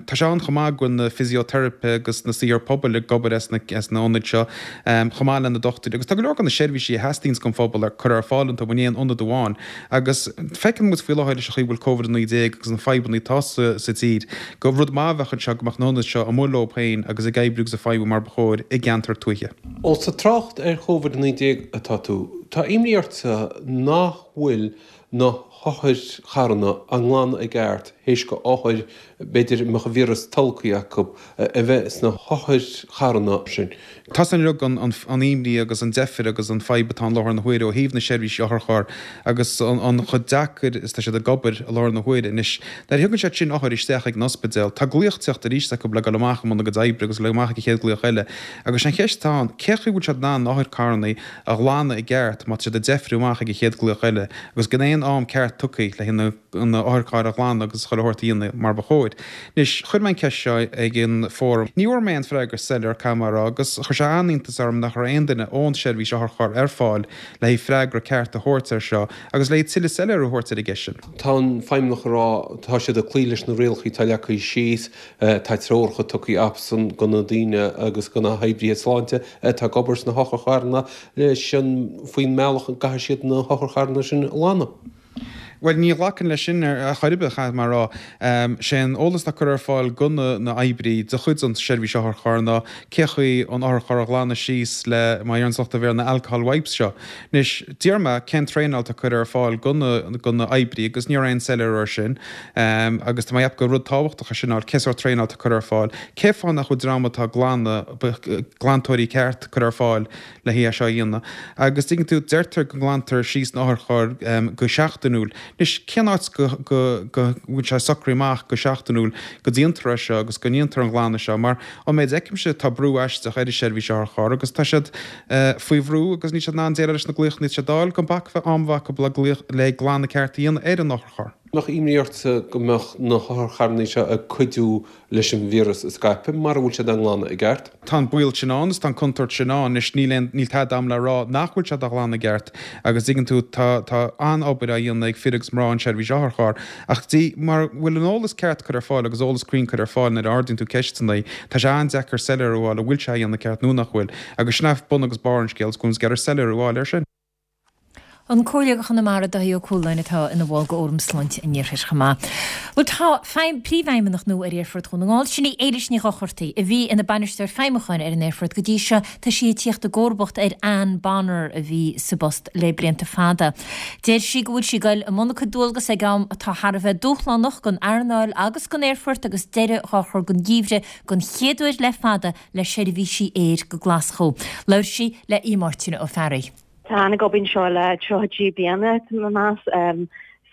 Tá sé ann chomh maith go bhfuil na fisioteiripithe agus na saothair pobail ag obair as na hionaid seo chomh maith le na dochtúirí agus tá go leor de na seirbhísí a theastaíonns don phobal ar curtha ar fáil iontu in aon ionad amháin agus feiceann muid faoi láthair leis an chaoi a bhfuil Covid-19 agus na fadhbanna atá sa tír gur rud maith a bheadh anseo go mbeadh na hionaid seo amuigh leo féin agus ag oibriú agus ag feidhmiú mar ba chóir i gceantar tuaithe. Ós ag trácht ar Covid-19 atá tú, tá imní ortsa nach bhfuil na hotharcharranna á nglanadh i gceart théis go othair, b'fhéidir, a mbeadh an víreas tolgtha acu, a bheith sna hotharcharranna sin. Tá san uilig an imní agus an deifir agus an fadhb atá i láthair na huaire ó thaobh na seirbhísí otharcharr agus an chomh deacair is atá siad ag obair i láthair na huaire. Anois, nuair a thugann siad sin othair isteach ag an ospidéal, tá glaoch ag teacht arís acu le dul amach i mbun a gcuid oibre agus le dul amach ag an chéad glaoch eile. Agus sé an cheist atá ann, cé chaoi bhfuil siad in ann na otharcharranna a ghlanadh i gceart má tá siad ag deifriú amach ag an chéad glaoch eile agus gan aon am ceart tugtha le haghaidh na otharchairr a ghlanadh agus chuile shórt a dhéanamh mar ba chóir. Anois, chuir mé an ceist seo ag an fóram. Ní bhfuair mé aon freagra soiléir, caithfidh mé a rá, agus chuir sé an-iontas orm nach raibh aon duine ón seirbhís otharcharr ar fáil le haghaidh freagra ceart a thabhairt air seo agus le haghaidh tuilleadh soiléiriú a thabhairt ar an gceist sin. Tá an Feidhmeannach ag rá tá siad ag cloí leis na rialacha atá leagtha síos, tá treoracha tugtha acusan go na daoine agus go na hoibrithe sláinte atá ag obair sna hotharcharranna leis an faoin mbealach a gcaithfidh siad na hotharcharranna sin a ghlanadh. Bhuel, ní ghlacfainn leis sin ar chor ar bith, caithfidh mé a rá. Sé an eolas atá curtha ar fáil go na na oibrí de chuid an seirbhís otharcharr ná cé chaoi an otharcharr a ghlanadh síos le, mar a deireann lucht an Bhéarla, na alcohol wipes seo. Anois, d'iarr mé cén traenáil atá curtha ar fáil go na go na oibrí agus ní raibh aon soiléiriú air sin. Agus tá mé ag ceapadh gur rud tábhachtach é sin a fháil, cé sórt traenáil atá curtha ar fáil, cé fáth nach bhfuil dream atá ag glanadh, glantóirí ceart curtha ar fáil le haghaidh é seo a dhéanamh. Agus tuigeann tú, deirtear go nglantar síos na otharchairr go seachtainiúil. Anois, cén áit go go bhfuil sé socraithe amach go seachtainiúil go ndéantar é seo agus go ndéantar an glanadh seo? Mar ón méid a fheicimse, tá brú aisteach ar an seirbhís otharcharr agus tá siad faoi bhrú agus níl siad in ann déileáil leis na glaochanna atá siad a fháil gan bac a bheith am a bheith acu le glaoch le glanadh ceart a dhéanamh ar an otharcharr. Mbeadh imní ortsa go mbeadh na hotharcharranna seo ag cuidiú leis an víreas a scaipeadh mara bhfuil siad á nglanadh i gceart. Tá an baol sin ann is tá an contúirt sin ann. Anois níl aon, níl tada agam le rá nach bhfuil siad á ghlanadh i gceart agus tuigeann tú tá, tá an-obair á dhéanamh ag fir agus mná an seirbhís otharcharr ach dí, mara bhfuil an eolas ceart curtha ar fáil agus eolas cruinn curtha ar fáil nuair a ardaíonn tú ceisteanna, tá sé an-deacair soiléiriú a fháil an bhfuil sé á dhéanamh ceart nó nach bhfuil agus sin é bun agus barr an scéil is go bhfuil muid ag iarraidh soiléiriú a fháil air sin. An Comhairleoir do Chonamara, Dáithí Ó Cualáin, atá ina bhall de Fhóram Sláinte an Iarthair chomh maith. Bhuel, tá Príomhfheidhmeannach nua ar Aerfort Dhún na nGall, sin í Éilis Ní Dhochartaigh, a bhí ina Bainisteoir Feidhmiúcháin ar an aerfort go dtí seo. Tá sí ag tíocht i gcomharbacht ar Anne Bonner a bhí sa bpost le blianta fada. Deir sí go bhfuil sí ag goil i mbun a cuid dualgas ag am atá thar a bheith dúshlánach don earnáil agus don aerfort agus deireadh dhá chur don gheimhreadh don chéad uair le fada le seirbhísí aeir go Glaschú. Labhair sí le Aodh Máirtín Ó Fearraigh. Tá Anne ag obair anseo le 33 bliana, tá mé ag meas,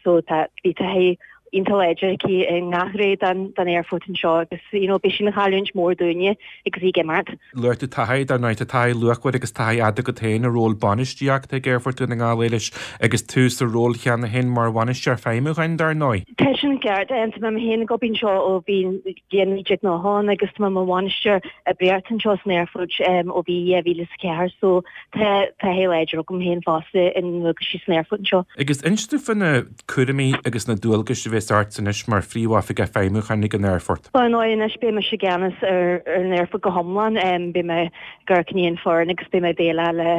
so tá, bhí taithí iontach láidir aici i ngach ré den den aerfort anseo agus you know beidh sí ina chailliúint mór dúinne agus í ag imeacht. Luaigh tú taithí, dar ndóigh, tá taithí luachmhar agus taithí fhada agat féin i ról bainistíochta ag Aerfort Dhún na nGall, Éilis, agus tú sa ról cheana féin mar bhainisteoir feidhmiúcháin, dar ndóigh. Tá sin ceart, tá mé féin ag obair anseo ó bhí bliain 1990 ann agus tá mé mar bhainisteoir oibríochta anseo san aerfort ó bhí 2004 so Tá taithí láidir agam féin fosta i ndualgaisí san aerfort anseo. Agus inis dúinn faoi na cúraimí agus na dualgais a bheas ort anois mar Phríomhoifigeach Feidhmiúcháin ag an aerfort. Ar ndóigh anois beidh mise i gceannas ar an aerfort go hiomlán. Beidh mé ag amharc i ndiaidh an foireann agus beidh mé ag déileáil le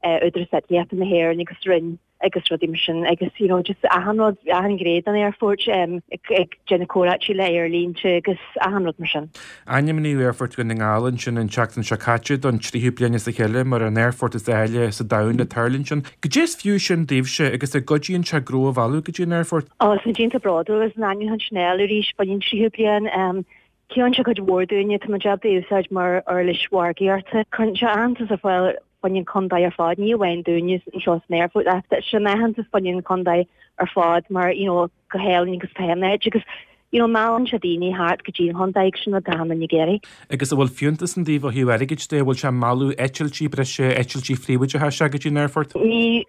Údarás Eitlíochta na hÉireann agus Roinn agus rudaí mar sin agus you know just achan rud, achan ghné den aerfort, ag déanamh comhráití le aerlínte agus achan rud mar sin. Ainmníodh Aerfort Dhún na nGall ansin an tseachtain seo caite don tríú bliain as a chéile mar an aerfort is áille sa domhan le tuirlingt ann. Goidé is fiú sin daoibhse agus an gcuidíonn sé gnó a mhealladh go dtí an aerfort? Ó, tá muid iontach bródúil as an ainmniúchán sin a fháil arís fá choinne an tríú bliain. Ciallaíonn sé cuid mhór dúinne, tá muid ábalta é a úsáid mar uirlis mhargaíochta. Cuireann sé aitheantas ar fáil fá choinne an chontae ar fad, ní amháin dúinne anseo san aerfort ach tá sé ina aitheantas fá choinne an chontae ar fad mar you know go hálainn agus atá an áit agus. you know meallann sé daoine thart go dtí an chontae agus sin rud atá achan duine ag iarraidh. Agus an bhfuil fiúntas an taobh ó thaobh airgid de, an bhfuil sé ag mealladh eitiltí breise, eitiltí phríobháideacha isteach go dtí an aerfort? Ní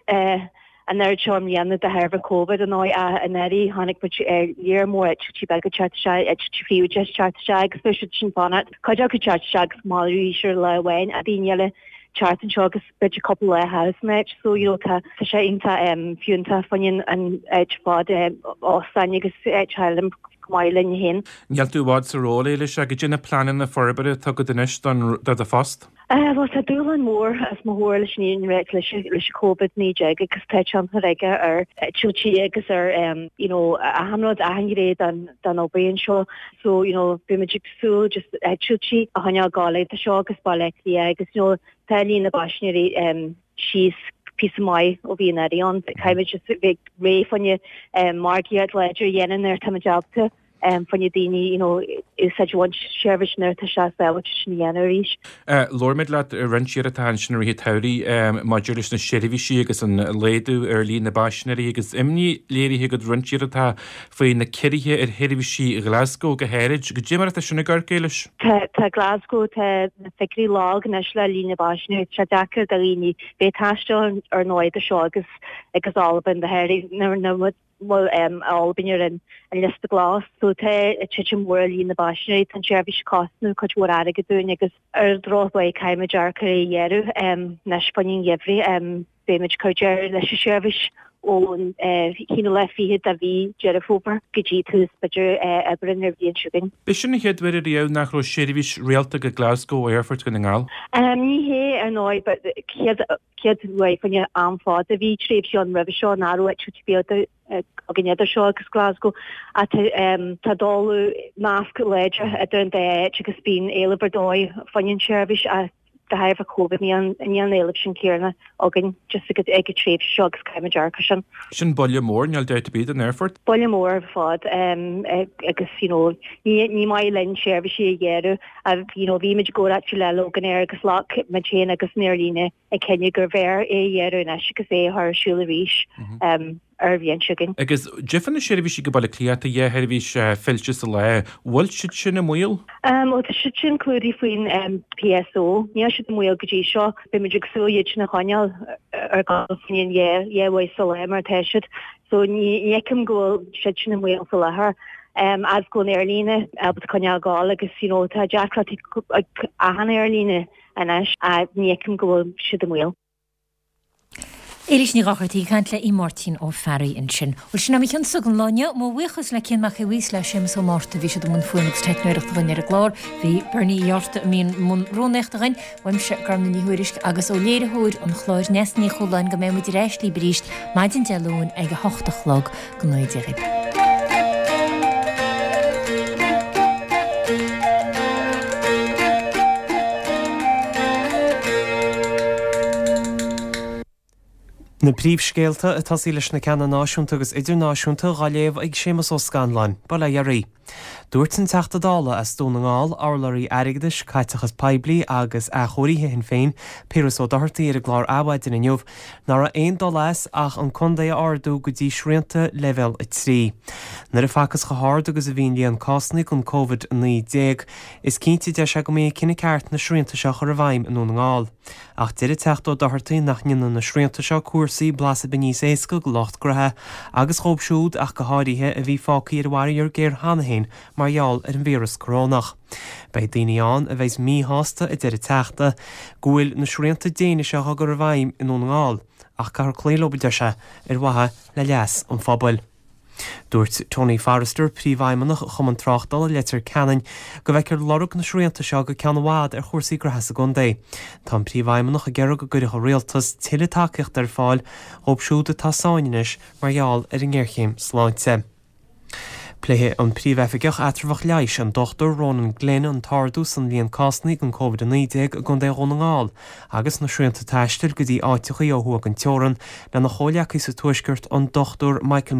an oiread seo i mbliana de thairbhe Covid ar ndóigh ach anuraidh chonaic muid léar mór eitiltí beaga teacht isteach, eitiltí príobháideacha teacht isteach agus beidh siad sin fanacht, cuid acu teacht isteach agus maidir arís ar lá amháin ach daoine eile teacht anseo agus b'fhéidir cúpla lá a chaitheamh san áit so you know tá tá sé iontach fiúntach fá choinne an áit ar fad, óstáin agus áit eile chomh maith linn féin. Níl tú i bhfad sa ról, Éilis, ach goidé na pleananna forbartha atá agat anois don do do phost? Bhuel, tá dúshlán mór os mo chomhair leis an fhírinne a ráit leis an Covid-19 agus tá tionchar aige ar eitiltí agus ar you know achan rud, achan ghné den den obair anseo. So you know beidh muid ag súil just eitiltí a choinneáil ag gabháil idir seo agus Baile Átha Cliath agus you know tá líon na bpaisinéirí síos píosa maith ó bhí anuraidh ann. Caithfidh muid just bheith réidh fá choinne margaíocht láidir a dhéanamh nuair atá muid ábalta. fá choinne daoine you know úsáid a bhaint as seirbhís nuair atá sé sábháilte sin a dhéanamh arís. Labhair muid leat roinnt iarratacha ansin i rith an tsamhraidh maidir leis na seirbhísí agus an laghdú ar líon na bpaisinéirí agus imní léirithe agat roinnt iarratacha faoi na ciorruithe ar sheirbhísí Ghlasgow go háirid. Goidé mar atá sin ag amharc, Éilis? Tá tá Glasgow tá na figiúirí lag anois le líon na bpaisinéirí. Tá sé deacair do dhaoine bheith ag taisteal ar ndóigh idir seo agus agus Albain go háirithe nuair nuair bhfuil Albain ar an liosta glas. So tá titim mhór i líon na bpaisinéirí, tá an tseirbhís ag cosnú cuid mhór airgid dúinn agus ar dhrochthoil caithfimid amharc ar é a ghearradh anois fá choinne an gheimhridh. Beimid ag cur deireadh leis an seirbhís ón aonú lá fichead de mhí Deireadh Fómhair go dtí tús b'fhéidir Aibreán ar bhliain seo chugainn. B'é sin an chéad uair ariamh nach raibh seirbhís rialta go Glasgow ó Aerfort Dhún na nGall. Ní hé ar ndóigh but chéad chéad uair fá choinne am fada. Bhí tréimhsí ann roimhe seo nach raibh eitiltí beaga againn idir seo agus Glasgow ach tá dul nasc láidir idir an dá áit agus bíonn éileamh ar dóigh fá choinne an tseirbhís ach de thairbhe Covid níl an éileamh sin céanna againn just ag an tréimhse seo agus caithfimid amharc ar sin. Sin buille mór, níl dabht ar bith, don aerfort. Buille mór ar fad agus you know ní maith linn seirbhísí a ghearradh you know bhí muid i gcomhráite le Loganair agus ghlac muid féin agus an aerlíne an cinneadh gurbh fhearr é a ghearradh anois agus é a chur ar siúl arís ar an bhliain seo chugainn. Agus goidé fá na seirbhísí go Baile Átha Cliath, tá dhá sheirbhís fillte sa lá, bhfuil siad sin i mbaol? Bhuel tá siad sin clúdaithe faoin PSO. Níl siad i mbaol go dtí seo. Beidh muid ag súil iad sin a choinneáil ar gabháil faoin dhá uair sa lá mar atá siad. So ní fheicim go bhfuil siad sin i mbaol faoi láthair. As go bhfuil an aerlíne ábalta coinneáil ag gabháil agus you know tá deacrachtaí ag achan aerlíne anois ach ní fheicim go bhfuil siad i mbaol. Éilís Ní Dhochartaigh ag caint le Máirtín Ó Fearraigh ansin. Bhuel sin é mo chionn-sa don lá inniu. Mo bhuíochas le Cian Mac Aodha Bhuí is le Séamus Ó Márta. Bhí siad i mbun fuaime agus teicneoireachta dhuinn ar an gclár. Bhí Bernie Uí Fhátharta i mbun rúnaíochta dhuinn. Uaimse, Gormfhlaith Ní Thuairisg, agus ó léiritheoir an chláir Neasa Ní Chualáin go mbeidh muid ar ais libh arís maidin Dé Luain ag a hocht a chlog. Go ngnóthaí Dia dhaoibh. Na príomhscéalta ag tosaí leis na ceanna náisiúnta agus idirnáisiúnta dhá léamh ag Séamus Ó Scanláin. Bail ó Dhia oraibh. Dúirt an Teachta Dála as Dún na nGall, urlabhraí airgeadais, caiteachas poiblí agus athchóirithe Shinn Féin, Piaras Ó Dochartaigh ar an gclár Adhmhaidin inniu nach raibh aon dul as ach an contae a ardú go dtí srianta leibhéal 3. Nuair a facthas chomh hard agus a bhí an líon cásanna den Covid-19, is cinnte, deir sé, go mba é an cinneadh ceart na srianta seo a chur i bhfeidhm i nDún na nGall. Ach deir an Teachta Ó Dochartaigh nach ndéanfaidh na srianta seo cúrsaí blas ar bith níos éasca do lucht graithe agus dhóibh siúd ach go háirithe a bhí fágtha ar an bhfaraor géar cheana féin mar gheall ar an víreas corónach. Beidh daoine ann a bheas míshásta, a deir an Teachta, go bhfuil na srianta déine seo á gcur i bhfeidhm i nDún na nGall ach caithfear cloí leo, a deir sé, ar mhaithe le leas an phobail. Dúirt Tony Forrester, Príomhfheidhmeannach Chumann Tráchtála Leitir Ceanainn, go bhfeicfear lorg na srianta seo go ceann i bhfad ar chúrsaí graithe sa gcontae. Tá an Príomhfheidhmeannach ag iarraidh go gcuirfeadh an Rialtas tuilleadh tacaíochta ar fáil dhóibh siúd atá i sáinn anois mar gheall ar an ngéarchéim sláinte. Pléifidh an Príomh-Oifigeach Eatramhach Leighis, an Dr Ronan Glynn, an t-ardú san líon cásanna den Covid-19 i gContae Dhún na nGall agus na srianta taistil go dtí áiteachaí ó thuaidh den teorann lena chomhleacaí sa Tuaisceart, an Dr Michael.